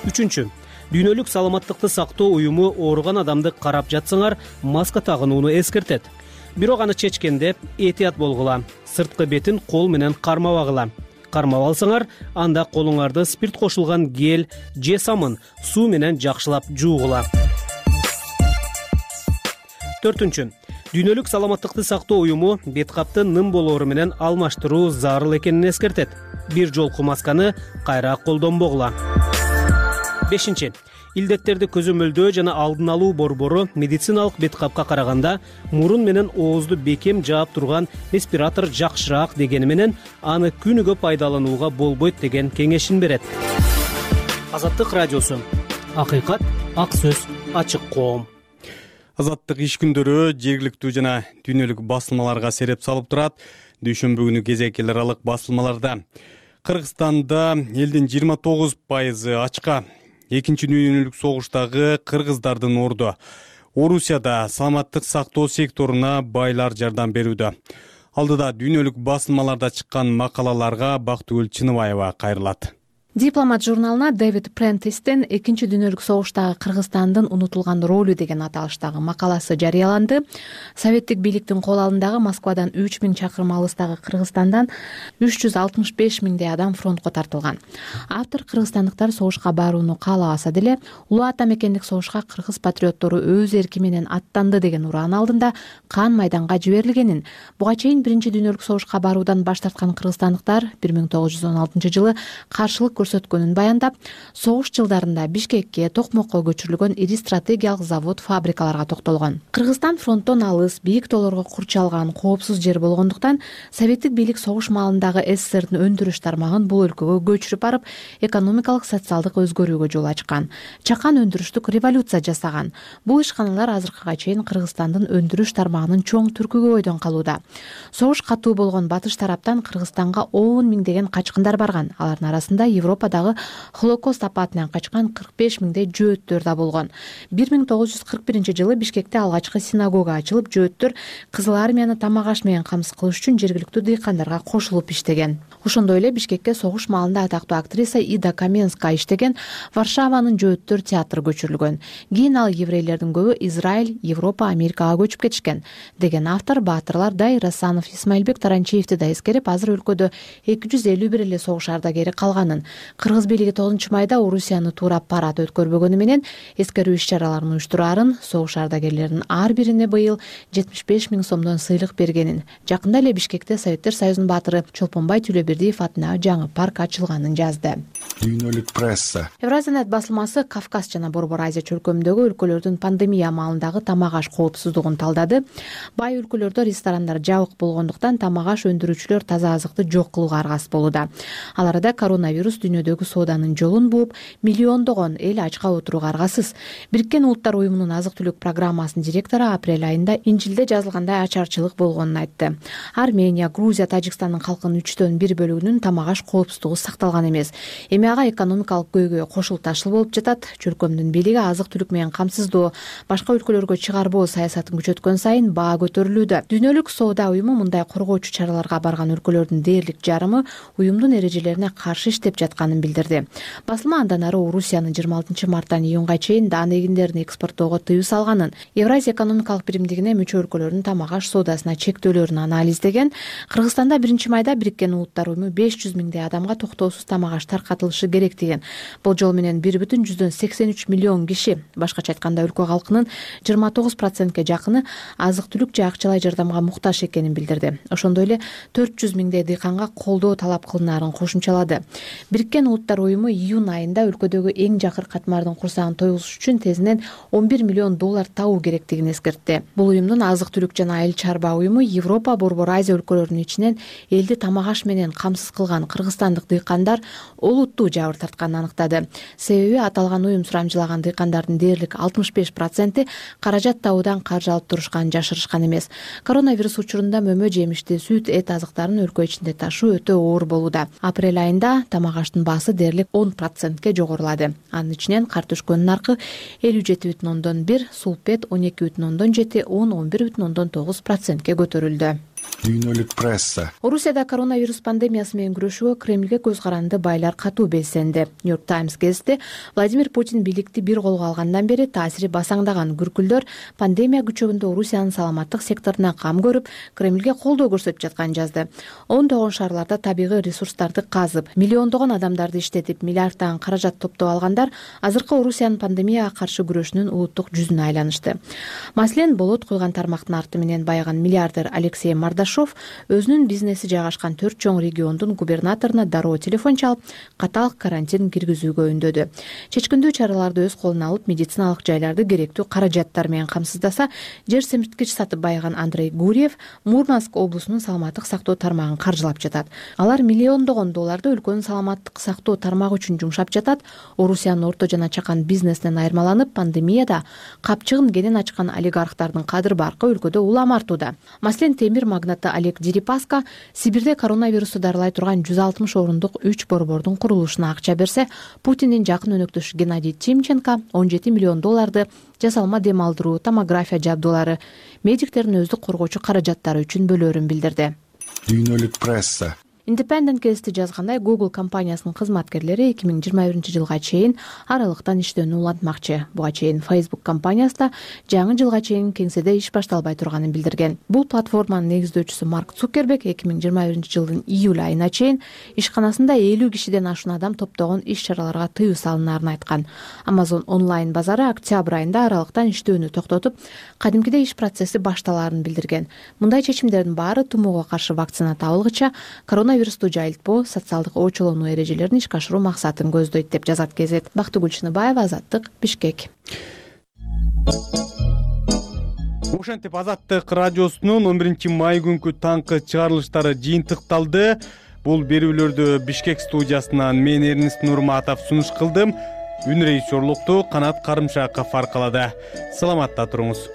Үчүнчү, дүйнөлүк саламаттыкты сактоо уюму ооруган адамды карап жатсаңар, маска тагынууну эскертет. Бирок аны чечкенде этият болгула, сырткы бетин кол менен кармабагыла. Кармап алсаңар, анда колуңарды спирт кошулган гель же самын суу менен жакшылап жуугула. Төртүнчү, дүйнөлүк саламаттыкты сактоо уюму беткапты ным болоору менен алмаштыруу зарыл экенин эскертет. Бир жолку масканы кайра колдонбогула. Бешинчи, илдеттерди көзөмөлдөө жана алдын алуу борбору медициналык беткапка караганда мурун менен оозду бекем жаап турган респиратор жакшыраак дегени менен аны күнүгө пайдаланууга болбойт деген кеңешин берет. Азаттык радиосу. Акыйкат, ак сөз, ачык коом. Азаттык иш күндөрү жергиликтүү жана дүйнөлүк басылмаларга сереп салып турат. Дүйшөмбү күнү кезек эл аралык басылмаларда Кыргызстанда элдин жыйырма тогуз пайызы ачка. Экинчи дүйнөлүк согуштагы кыргыздардын орду. Орусияда саламаттык сактоо секторуна байлар жардам берүүдө. Алдыда дүйнөлүк басылмаларда чыккан макалаларга Бактыгүл Чыныбаева кайрылат. Дипломат журналына Дэвид Прентистен экинчи дүйнөлүк согуштагы Кыргызстандын унутулган ролу деген аталыштагы макаласы жарыяланды. Советтик бийликтин кол алдындагы Москвадан үч миң чакырым алыстагы Кыргызстандан үч жүз алтымыш беш миңдей адам фронтко тартылган. Автор кыргызстандыктар согушка барууну каалабаса деле, улуу ата мекендик согушка кыргыз патриоттору өз эрки менен аттанды деген ураан алдында кан майданга жиберилгенин, буга чейин биринчи дүйнөлүк согушка баруудан баш тарткан кыргызстандыктар бир миң тогуз жүз он алтынчы жылы каршылык көрсөткөнүн баяндап, согуш жылдарында Бишкекке, Токмокко көчүрүлгөн ири стратегиялык завод, фабрикаларга токтолгон. Кыргызстан фронттон алыс, бийик тоолорго курчалган, коопсуз жер болгондуктан советтик бийлик согуш маалындагы СССРдин өндүрүш тармагын бул өлкөгө көчүрүп барып, экономикалык, социалдык өзгөрүүгө жол ачкан. Чакан өндүрүштүк революция жасаган. Бул ишканалар азыркыга чейин Кыргызстандын өндүрүш тармагынын чоң түркүгө бойдон калууда. Согуш катуу болгон батыш тараптан Кыргызстанга он миңдеген качкындар барган. Алардын арасында Европадагы Холокост апатынан качкан кырк беш миңдей жөөттөр да болгон. бир миң тогуз жүз кырк биринчи жылы Бишкекте алгачкы синагога ачылып, жөөттөр Кызыл армияны тамак-аш менен камсыз кылыш үчүн жергиликтүү дыйкандарга кошулуп иштеген. Ошондой эле Бишкекке согуш маалында атактуу актриса Ида Каменская иштеген Варшаванын жөөттөр театры көчүрүлгөн. Кийин ал еврейлердин көбү Израиль, Европа, Америкага көчүп кетишкен деген автор Баатырлар Дайыр Асанов, Исмаилбек Таранчиевди да эскерип, азыр өлкөдө эки жүз элүү бир эле согуш ардагери калганын, кыргыз бийлиги тогузунчу майда Орусияны туурап парад өткөрбөгөнү менен эскерүү иш-чараларын уюштураарын, согуш ардагерлеринин ар бирине быйыл жетимиш беш миң сомдон сыйлык бергенин, жакында эле Бишкекте Советтер Союзунун баатыры Чолпонбай Түлөбердиев атына жаңы парк ачылганын жазды. Дүйнөлүк пресса. Евразиянет басылмасы Кавказ жана Борбор Азия чөлкөмүндөгү өлкөлөрдүн пандемия маалындагы тамак-аш коопсуздугун талдады. Бай өлкөлөрдө ресторандар жабык болгондуктан тамак-аш өндүрүүчүлөр таза азыкты жок кылууга аргасыз болууда. Ал арада коронавирус дүйнөдөгү сооданын жолун бууп, миллиондогон эл ачка отурууга аргасыз. Бириккен Улуттар уюмунун азык-түлүк программасынын директору апрель айында Инжилде жазылгандай ачарчылык болгонун айтты. Армения, Грузия, Тажикстандын калкынын үчтөн бир бөлүгүнүн тамак-аш коопсуздугу сакталган эмес. Эми ага экономикалык көйгөй кошул ташыл болуп жатат. Чөлкөмдүн бийлиги азык-түлүк менен камсыздоо, башка өлкөлөргө чыгарбоо саясатын күчөткөн сайын баа көтөрүлүүдө. Дүйнөлүк соода уюму мындай коргоочу чараларга барган өлкөлөрдүн дээрлик жарымы уюмдун эрежелерине каршы иштеп жатканын билдирди. Басылма андан ары Орусиянын жыйырма алтынчы марттан июнга чейин даан эгиндерин экспорттоого тыюу салганын, Евразия экономикалык биримдигине мүчө өлкөлөрдүн тамак-аш соодасына чектөөлөрүн анализдеген. Кыргызстанда биринчи майда Бириккен Улуттар уюму беш жүз миңдей адамга токтоосуз тамак-аш таркатылышы керек деген. Болжол менен бир бүтүн жүздөн сексен үч миллион киши, башкача айтканда өлкө калкынын жыйырма тогуз процентке жакыны азык-түлүк же акчалай жардамга муктаж экенин билдирди. Ошондой эле төрт жүз миңдей дыйканга колдоо талап кылынаарын кошумчалады. Бириккен Улуттар уюму июнь айында өлкөдөгү эң жакыр катмардын курсагын тойгузуш үчүн тезинен он бир миллион доллар табуу керектигин эскертти. Бул уюмдун азык-түлүк жана айыл чарба уюму Европа, Борбор Азия өлкөлөрүнүн ичинен элди тамак-аш менен камсыз кылган кыргызстандык дыйкандар олуттуу жабыр тартканын аныктады. Себеби аталган уюм сурамжылаган дыйкандардын дээрлик алтымыш беш проценти каражат табуудан каржы алып турушканын жашырышкан эмес. Коронавирус учурунда мөмө, жемишти, сүт, эт азыктарын өлкө ичинде ташуу өтө оор болууда. Апрель айында тамак-аштын баасы дээрлик он процентке жогорулады. Анын ичинен картошконун наркы элүү жети бүтүн ондон бир, сулпет он эки бүтүн ондон жети, он он бир бүтүн ондон тогуз процентке көтөрүлдү. Дүйнөлүк пресса. Орусияда коронавирус пандемиясы менен күрөшүүгө Кремлге көз каранды байлар катуу белсенди. Нью-Йорк Таймс гезити Владимир Путин бийликти бир колго алгандан бери таасири басаңдаган күркүлдөр пандемия күчөгүндө Орусиянын саламаттык секторуна кам көрүп, Кремлге колдоо көрсөтүп жатканын жазды. Ондогон шаарларда табигый ресурстарды казып, миллиондогон адамдарды иштетип, миллиарддаган каражат топтоп алгандар азыркы Орусиянын пандемияга каршы күрөшүнүн улуттук жүзүнө айланышты. Маселен, болот куйган тармактын арты менен байыган миллиардер Алексей Мардашов өзүнүн бизнеси жайгашкан төрт чоң региондун губернаторуна дароо телефон чалып, катаал карантин киргизүүгө үндөдү. Чечкиндүү чараларды өз колуна алып, медициналык жайларды керектүү каражаттар менен камсыздаса, жер семирткич сатып байыган Андрей Гурьев Мурманск облусунун саламаттык сактоо тармагын каржылап жатат. Алар миллиондогон долларды өлкөнүн саламаттык сактоо тармагы үчүн жумшап жатат. Орусиянын орто жана чакан бизнесинен айырмаланып, пандемияда капчыгын кенен ачкан олигархтардын кадыр баркы өлкөдө улам артууда. Маселен, темир магнаты Олег Дерипаска Сибирде коронавирусту дарылай турган жүз алтымыш орундук үч борбордун курулушуна акча берсе, Путиндин жакын өнөктөшү Геннадий Тимченко он жети миллион долларды жасалма дем алдыруу, томография жабдуулары, медиктердин өздүк коргоочу каражаттары үчүн бөлөөрүн билдирди. Дүйнөлүк пресса. Independent гезити жазгандай, Google компаниясынын кызматкерлери эки миң жыйырма биринчи жылга чейин аралыктан иштөөнү улантмакчы. Буга чейин Facebook компаниясы да жаңы жылга чейин кеңседе иш башталбай турганын билдирген. Бул платформанын негиздөөчүсү Марк Цукерберг эки миң жыйырма биринчи жылдын июль айына чейин ишканасында элүү кишиден ашуун адам топтогон иш-чараларга тыюу салынаарын айткан. Amazon онлайн базары октябрь айында аралыктан иштөөнү токтотуп, кадимкидей иш процесси башталаарын билдирген. Мындай чечимдердин баары тумоого каршы вакцина табылгыча коронавирусту жайылтпоо, социалдык очолонуу эрежелерин ишке ашыруу максатын көздөйт деп жазат Кезет. Бактыгүл Чыныбаева, Азаттык, Бишкек. Ошентип Азаттык радиосунун он биринчи май күнкү таңкы чыгарылыштары жыйынтыкталды. Бул берүүлөрдү Бишкек студиясынан мен Эрнест Нурматов сунуш кылдым. Үн режиссерлукту Канат Карымшаков аркалады. Саламатта туруңуз.